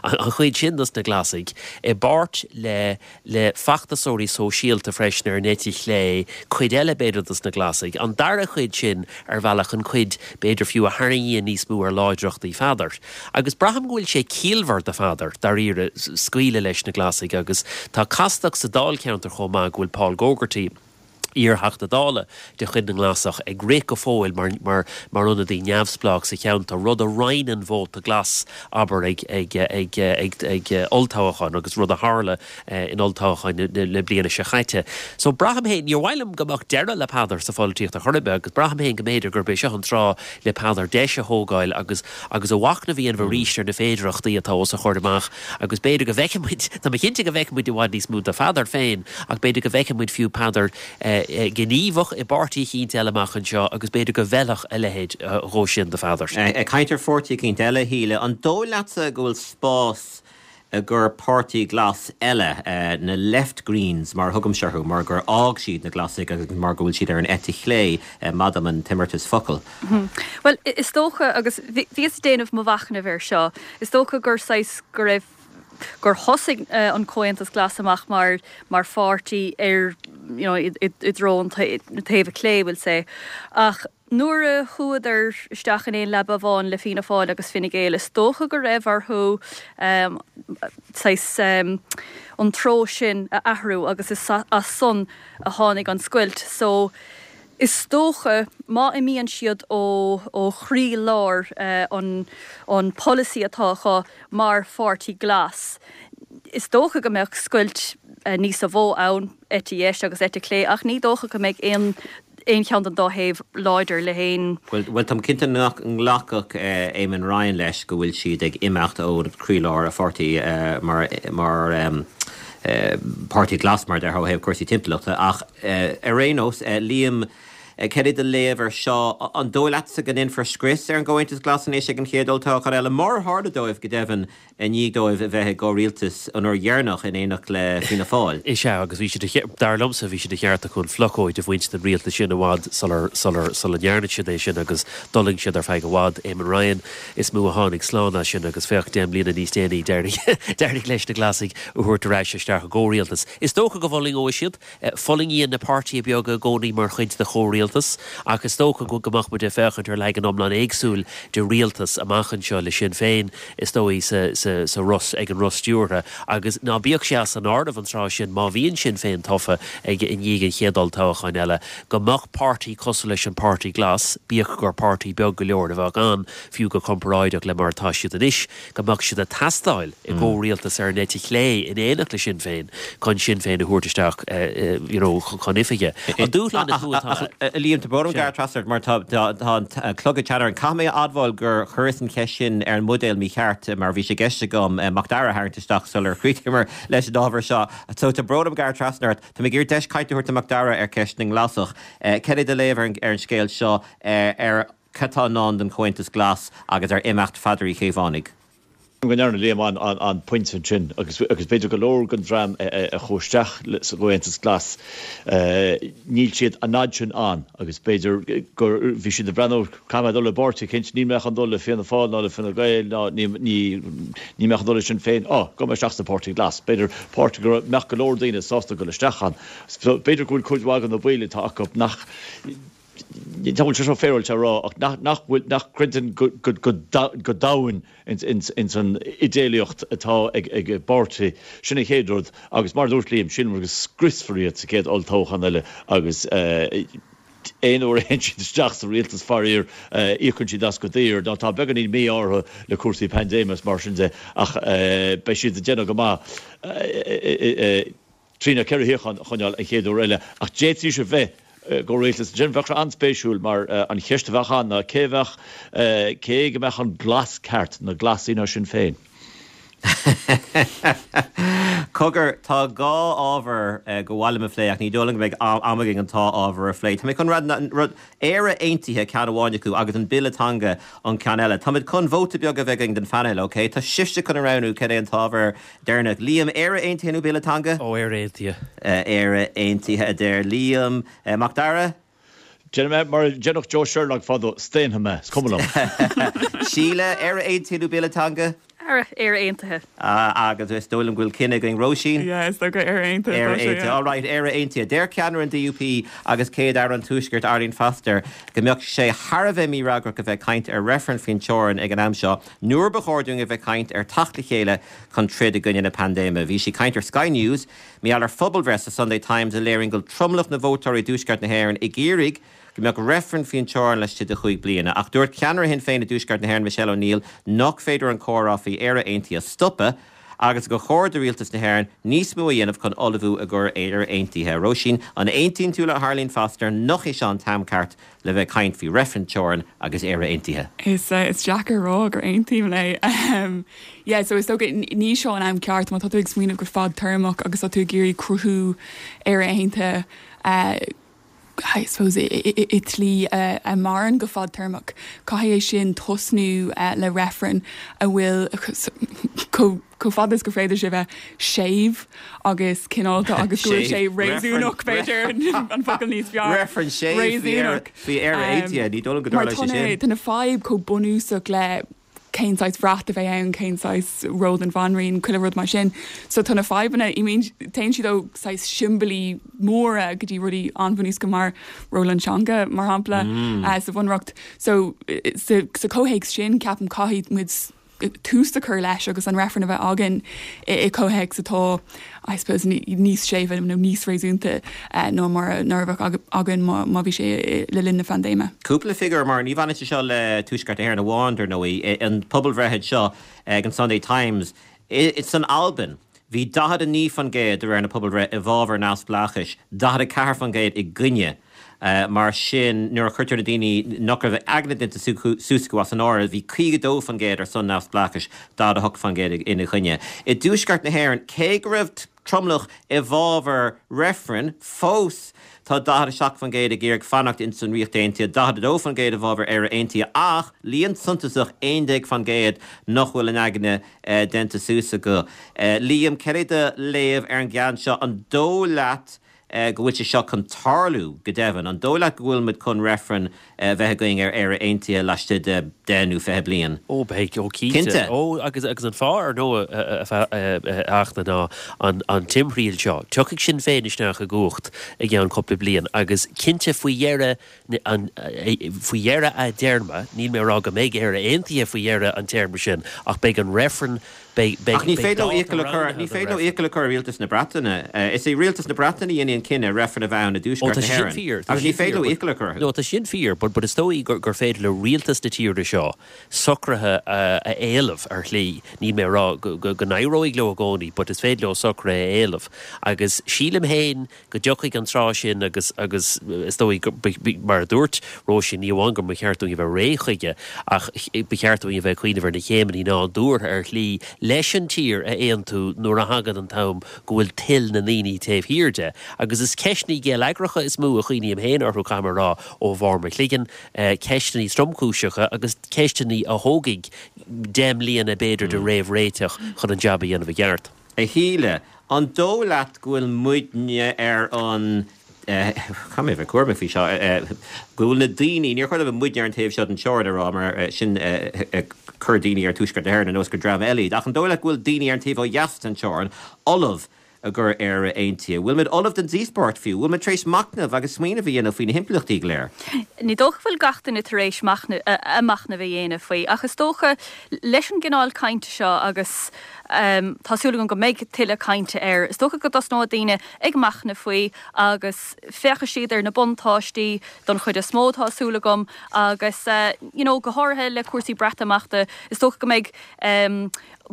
an chuid sin dos na Glasaigh, i bpáirt le le feachtasóirí sóisialta freisin ar an eite chlé, cuid eile b'fhéidir dos na Glasaigh, an dara cuid sin ar bhealach an chuid b'fhéidir fiú a tharraingíonn níos mó ar láidreachtaí Pheadair. Agus braithim go bhfuil sé ciallmhar do Pheadar, dáiríre, scaoileadh leis na Glasaigh agus tá castacht sa dáilcheantar chomh maith go bhfuil Paul Gogarty, iar-Theachta Dála de chuid na nGlasach, ag rith go fóill mar mar mar ionadaí neamhspleách sa cheantar, rud a roinneann vóta glas, abair, ag ag ag ag ag olltoghchán agus rud a tharla in olltoghchán na bliana seo chaite. So braithim féin, níor mhaith liom go mbeadh deireadh le Peadar sa pholaitíocht ar chor ar bith agus braithim féin go mb'fhéidir gurb é seo an tráth le Peadar deis a thógáil agus agus a mhachnamh a dhéanamh arís ar na féidearthachtaí atá os a chomhair amach agus b'fhéidir go bhfeicfidh muid, tá mé cinnte go bhfeicfidh muid i bhfad níos mó de Pheadar féin ach b'fhéidir go bhfeicfidh muid fiú Peadar gníomhach i bpáirtí eicínt eile amach anseo agus b'fhéidir go bhfeilfeadh a leithéid dhó sin do Pheadar. Ag caint ar pháirtí eicínt eile, a Shíle, an dóigh leatsa go bhfuil spás i gcomhair páirtí glas eile, na Left Greens mar a thugaimse orthu, mar gur fhág siad na Glasaigh agus mar go bhfuil siad ar an eite chlé, maith dom an t-imeartas focal. Bhuel, is dócha, agus bhíos ag déanamh mo mhachnaimh air seo, is dócha gur saghas, go raibh, gur thosaigh an Comhaontas Glas amach mar, mar pháirtí ar, you know, i dtreo an taobh clé, we'll say, ach Nuair a chuadar isteach in aon leaba amháin le Fianna Fáil agus Fine Gael, is dócha go raibh orthu saghas an treo sin a athrú agus is as san a tháinig an scoilt. So, is dócha, má imíonn siad ó chroí-lár an an polasaí atá acu mar pháirtí glas, is dócha go mbeadh scoilt níosa mhó ann, eite dheis agus eite chlé, ach ní dócha go mbeidh aon aon cheann den dá thaobh láidir le haon. Bhuel, táim cinnte nach nglacfadh Eamon Ryan leis go bhfuil siad ag imeacht ó chroílár a pháirtí mar mar Páirtí Glas, mar a déarfá, ó thaobh cúrsaí timpeallachta. Ach ar aon nós, Liam. Cad é do léamh ar seo? An dóigh leatsa go ndéanfar scrios ar an gComhaontas Glas anois ag an chéad olltoghchán eile, mar a tharla dóibh, go deimhin, i ndiaidh dóibh a bheith i gcomhrialtas an uair dheireanach in éineacht le Fianna Fáil? Is ea, agus bhí sé de, dar liomsa, bhí sé de cheart acu an phlocóid a bhaint den rialtas sin i bhfad sular, sular, sula ndearna siad é sin agus d'fhulaing siad ar feadh i bhfad. Eamon Ryan is mó a tháinig slán as sin agus féach, deich mbliana níos déanaí, d'éirigh, d'éirigh leis na Glasaigh a thabhairt ar ais isteach i gcomhrialtas. Is dócha go bhfulaingeoidh siad. Fulaingíonn na páirtithe beaga i gcónaí mar chuid de chomhrialtas, ach is dócha go mbeadh muid ag féachaint ar leagan iomlán éagsúil de rialtas amach anseo le Sinn Féin, is dóigh, sa roth, ag an roth stiúrtha. Agus ná bíodh sé as an áireamh an tráth sin, má bhíonn Sinn Féin tofa ag i ndiaidh an chéad olltoghcháin eile, go mbeadh páirtí cosúil leis an Páirtí Glas, bíodh gur páirtí beag go leor a bheadh ann, fiú go comparáideach le mar atá siad anois, go mbeadh siad ag teastáil i gcomhrialtas ar an eite chlé in éineacht le Sinn Féin chun Sinn Féin a thabhairt isteach you know chun oifige. An dúshlán is mó atá. A Liam, tá brón orm gearradh trasna ort mar tá an clog ag teannadh orainn. Caithfidh mé a admháil gur chuireas an cheist sin ar an mbuidéal mícheart mar bhí sé i gceist agam Macdara a tharraingt isteach sular chríochnaíomar leis an ábhar seo. So tá brón orm gearradh trasna ort. Tá mé ag iarraidh deis cainte a thabhairt do Macdara ar cheist na nGlasach. Cad é do léamh ar an scéal seo ar Cad tá i ndán don Chomhaontas Glas agus ar imeacht Pheadair Uí Chaomhánaigh? Go ndearna Liam an-phointe ansin agus b'fhéidir go leor den dream a chuaigh isteach sa gComhaontas Glas, níl siad an fhad sin ann agus b'fhéidir gur bhí siad ag breathnú, caithfidh mé dul le páirtí eicínt, níl mé chun dul le Fianna Fáil ná le Fine Gael ná níl mé chun dul le Sinn Féin, á, gabhfaidh mé isteach sa Pháirtí Glas. B'fhéidir páirtí go mbeadh go leor daoine sásta dul isteach ann. So b'fhéidir go bhfuil cuid mhaith de na baill atá acu nach, Ní bhfuil sé seo féaráilte a rá ach nach bhfuil, nach gcreideann go domhain ins an idéalaíocht atá ag an bpáirtí. Sin an chéad rud agus mar a dúirt Liam, sílim go scriosfar iad sa chéad olltoghchán eile agus aon uair a théann siad isteach sa rialtas faraor íocann siad as go daor. Now tá beagáinín mí-ádh orthu le cúrsaí paindéime is mar sin de ach beidh siad ag déanamh go maith. trí nó 4 shuíochán a choinneáil an chéad uair eile, ach d'fhéadfaidís a bheith i gcomhrialtas ansin. Bheadh sé an-spéisiúil mar an cheist a bheadh ann ná cé a bheadh, cé go mbeadh an glas ceart, na Glasaigh nó Sinn Féin? Cogar, tá dhá ábhar gur mhaith liom a phlé ach ní dóigh liom go mbeidh am againn an dá ábhar a phlé. Tá mé chun rud, Éire Aontaithe ceann amháin acu agus an Bille Teanga an ceann eile. Táimid chun vóta beag a bheith againn den phainéal, ok? Tá sibhse chun a roghnú cad é an t-ábhar deireanach. Liam, Éire Aontaithe nó Bille Teanga? Ó, Éire Aontaithe. Éire Aontaithe a deir Liam. Mac Dara? Déanfaidh mé mar a deineadh Joe Sherlock fadó, staonfaidh mé, is cuma liom. Síle, Éire Aontaithe nó Bille Teanga? Éire Aontaithe. Agus is dóigh liom go bhfuil cinneadh againn. Róisín? Yeah, is dócha Éire Aontaithe atá sé, yeah. Éire Aontaithe. All right, Éire Aontaithe. Deir ceannaire an DUP agus Céad-Aire an Tuaiscirt, Arlene Foster, go mbeadh sé thar a bheith mífhreagrach a bheith ag caint ar reifreann faoin teorainn ag an am seo nuair ba chóir dúinn a bheith ag caint ar theacht le chéile chun troid i gcoinne na paindéime. Bhí sí ag caint ar Sky News mar gheall ar phobalbhreith sa Sunday Times a léiríonn go bhfuil tromlach na vótóirí i dTuaisceart na hÉireann ag iarraidh go mbeadh reifreann faoin teorainn laistigh de chúig bliana. Ach dúirt ceannaire Shinn Féin i dTuaisceart na hÉireann Michelle O'Neill nach féidir an comhrá faoi Éire Aontaithe a stopadh agus gur chóir do rialtas na hÉireann níos mó a dhéanamh chun ullmhú i gcomhair Éire Aontaithe. Róisín, an aontaíonn tú le hArlene Foster nach é seo an t-am ceart le bheith ag caint faoi reifreann teorann agus Éire Aontaithe? Is deacair a rá gur aontaím léi. Yeah, so is dócha ní seo an am ceart má tá tú ag smaoineamh go fadtéarmach agus tá tú ag iarraidh cruthú Éire Aontaithe I suppose i tslí a mhaireann go fadtéarmach. Caithfidh é sin tosnú le reifreann a bhfuil chomh fada is gur féidir sé bheith séimh agus cineálta agus go bhfuil sé réasúnach, b'fhéidir, an focal níos fearr. Reifreann séimh faoi Éire Aontaithe, ní dóigh liom go dtarlóidh sé sin. Mar tá na fadhb chomh bunúsach le cén saghas bhrat a bheidh ann, cén saghas ról don bhanríon, chuile rud mar sin. So tá na fadhbanna, I mean, téann siad ó saghas siombailí móra go dtí rudaí an-bhunúsacha mar ról an teanga, mar shampla, sa bhunreacht. So sa chomhthéacs sin, ceapaim caithfidh muid tús a chur leis agus an reifreann a bheith againn i comhthéacs atá, I suppose, níos séimhe nó níos réasúnta ná mar a bheadh againn má bhí sé le linn na paindéime. Cúpla figiúr, mar ní bhaineann sé seo le Tuaisceart na hÉireann amháin, dar ndóigh. An pobalbhreith seo ag an Sunday Times, san Albain, bhí 49% de réir na pobalbhreith i bhfabhar neamhspleáchais, 44% i gcoinne. Mar sin, nuair a chuirtear na daoine nach raibh aigne déanta suas acu as an áireamh, bhí 52% ar son neamhspleáchais, 48% ina choinne. I dTuaisceart na hÉireann, cé go raibh. tromlach i bhfabhar reifrinn, fós tá 47% ag iarraidh fanacht ins an Ríocht Aontaithe, 42% i bhfabhar Éire Aontaithe ach líon suntasach, 11%, nach bhfuil a n-aigne déanta suas acu. Liam, cad é do léamh ar an gceann seo? An dóigh leat go bhfuil sé seo chun tarlú, go deimhin? An dóigh leat go bhfuil muid chun reifreann a bheith againn ar Éire Aontaithe laistigh de 10 nó 20 bliain? Ó, beidh, ó cinnte. Cinnte. Ó, agus agus an fáth, ar ndóigh, a Fhachtna, ná an an timthriall seo. Tiocfaidh Sinn Féin isteach i gcumhacht i gceann cúpla bliain agus cinnte faoi dheireadh an faoi dheireadh a dtéarma, níl mé ag rá go mbeidh Éire Aontaithe faoi dheireadh an téarma sin ach beidh an reifreann Beidh, beidh, Ach ní beidh féidir leo dáta iachall a chur, roghnaithe ní don féidir leo reifreann. iachall a chur ar rialtas na Breataine. Is é rialtas na Breataine a dhéanfaidh an cinneadh reifreann a bheith ann i Ó, dTuaisceart tá na sé sin hÉireann. fíor, tá Agus sé ní sin féidir fíor, leo but, iachall a chur orthu. no, tá sin fíor, but, but is dóigh gur, gur féidir le rialtas na tíre seo socruithe a, a éileamh ar shlí. Níl mé ag rá go, go, go n-éireoidh leo i gcónaí, but is féidir leo socruithe a éileamh. Agus sílim féin go dtiocfaidh an tráth sin agus agus is dóigh go, mar a dúirt Róisín, ní amháin go mba cheart dúinn a bheith réidh chuige ach ba cheart dúinn a bheith ag cuimhneamh ar na céimeanna nádúrtha ar shlí leis an tír a aontú nuair a thagann an t-am go bhfuil toil na ndaoine taobh thiar de. Agus is ceisteanna geilleagracha is mó a chuimhním féin orthu, caithfidh mé a rá, ó bharr mo chloigeann, ceisteanna tromchúiseacha agus ceisteanna a thógfaidh 10 mbliana b'fhéidir de réamhréiteach chun an jab a dhéanamh i gceart. A Shíle, an dóigh leat go bhfuil muidne ar an, caithfidh mé a bheith cúramach faoi seo, go bhfuil na daoine, níor chóir dom muidne ar an taobh seo den teorainn a rá mar sin ag cur daoine ar Tuaisceart na hÉireann ar nós gur dream eile iad, ach an dóigh leat go bhfuil daoine ar an taobh ó dheas den teorainn ullamh i gcomhair Éire Aontaithe? Bhfuil muid ullamh don díospóireacht fiú? Bhfuil muid tar éis machnamh agus smaoineamh a dhéanamh faoi na himpleachtaí go léir? Ní dócha go bhfuil gach duine tar éis machnamh a dhéanamh faoi, ach is dócha leis an gcineál cainte seo agus tá súil agam go mbeidh tuilleadh cainte air, is dócha go dtosnóidh daoine ag machnamh faoi agus féachfaidh siad ar na buntáistí don chuid is mó, tá súil agam, agus you know go háirithe le cúrsaí Breatimeachta, is dócha go mbeidh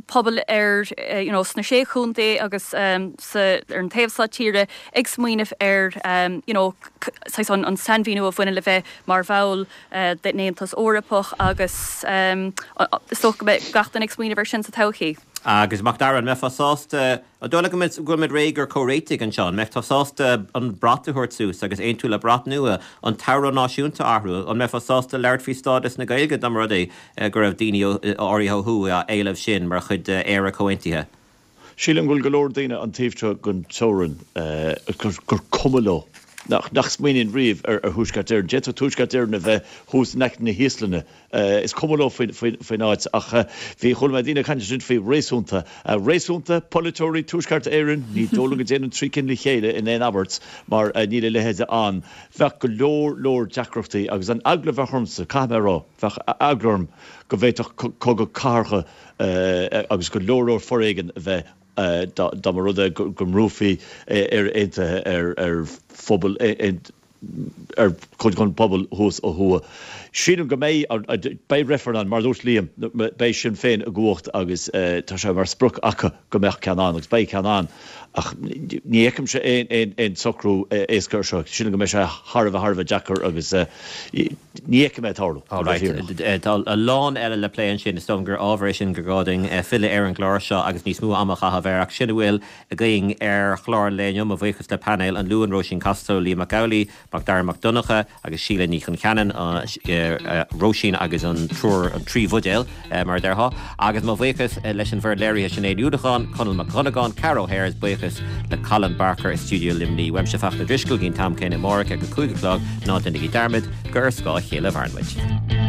pobal ar you know sna Sé Chontae agus sa ar an taobh seo tíre ag smaoineamh ar you know saghas an an sainmhíniú a bhaineann le bheith mar bhall den Aontas Eorpach agus is dócha go mbeidh gach duine ag smaoineamh ar sin sa todhchaí. Agus Macdara, an mbeifeá sásta, an dóigh leat go bhfuil muid réidh do chomhréitigh anseo? An mbeadh tú sásta an brat a thabhairt suas agus aontú le brat nua, an t-amhrán náisiúnta a athrú? An mbeifeá sásta labhairt faoi stádas na Gaeilge dá mba rud é go raibh daoine áirithe ó thuaidh á éileamh sin mar chuid d'Éire comhaontaithe? Sílim go bhfuil go leor daoine an taobh seo den teorainn gur cuma leo, nach smaoiníonn riamh ar Thuaisceart Éireann. D'fhéadfadh Tuaisceart Éireann a bheith thuas in aice na hÍoslainne. Is cuma leo faoin áit. Ach bhí, chuala mé daoine ag caint ansin faoi réasúnta. Réasúnta, polaiteoirí Tuaisceart Éireann, ní dóigh liom go dtéann an trí cinn le chéile in aon abairt mar níl a leithéid ann. Bheadh go leor leor deacrachtaí agus an eagla a bheadh ormsa, caithfidh mé a rá, bheadh eagla orm go bhféadfadh cogadh cathartha agus go leor leor foréigean a bheith dá mba rud é go mbrúfaí Éire Aontaithe ar phobal ar chuid den phobal thuas ó thuaidh. Sílim go mbeidh beidh reifreann ann, mar a dúirt Liam, beidh Sinn Féin i gcumhacht agus tá sé mar sprioc acu go mbeadh ceann ann agus beidh ceann ann ach ní fheicimse aon socrú éasca ar seo. Sílim go mbeidh sé thar a bheith thar a bheith deacair agus Ní fheicim é ag tarlú. All right. Tá a lán eile le plé ansin. Is dóigh gur ábhar é sin gur gá dúinn filleadh ar an gclár seo agus níos mó ama a chaitheamh air. Ach sin a bhfuil againn ar chlár an lae inniu. Mo bhuíochas le painéal an Luain, Róisín Costello, Liam Mac Amhlaigh, Macdara Mac Donncha agus Síle Ní Choncheanainn, Róisín agus an triúr, an trí bhuidéal, mar a déarfá. Agus mo bhuíochas leis an bhfoireann léirithe, Sinéad Ní Uallacháin, Conall Mac Dhonnagáin, Ceara O'Hare is buíochas le Colin Barker i stiúideo Luimnigh. Uaimse Fachtna Drisceoil, go dtí an t-am céanna amárach ag a 5 a chlog, ná déanaigí dearmad gur ar scáth a chéile a mhaireann muid.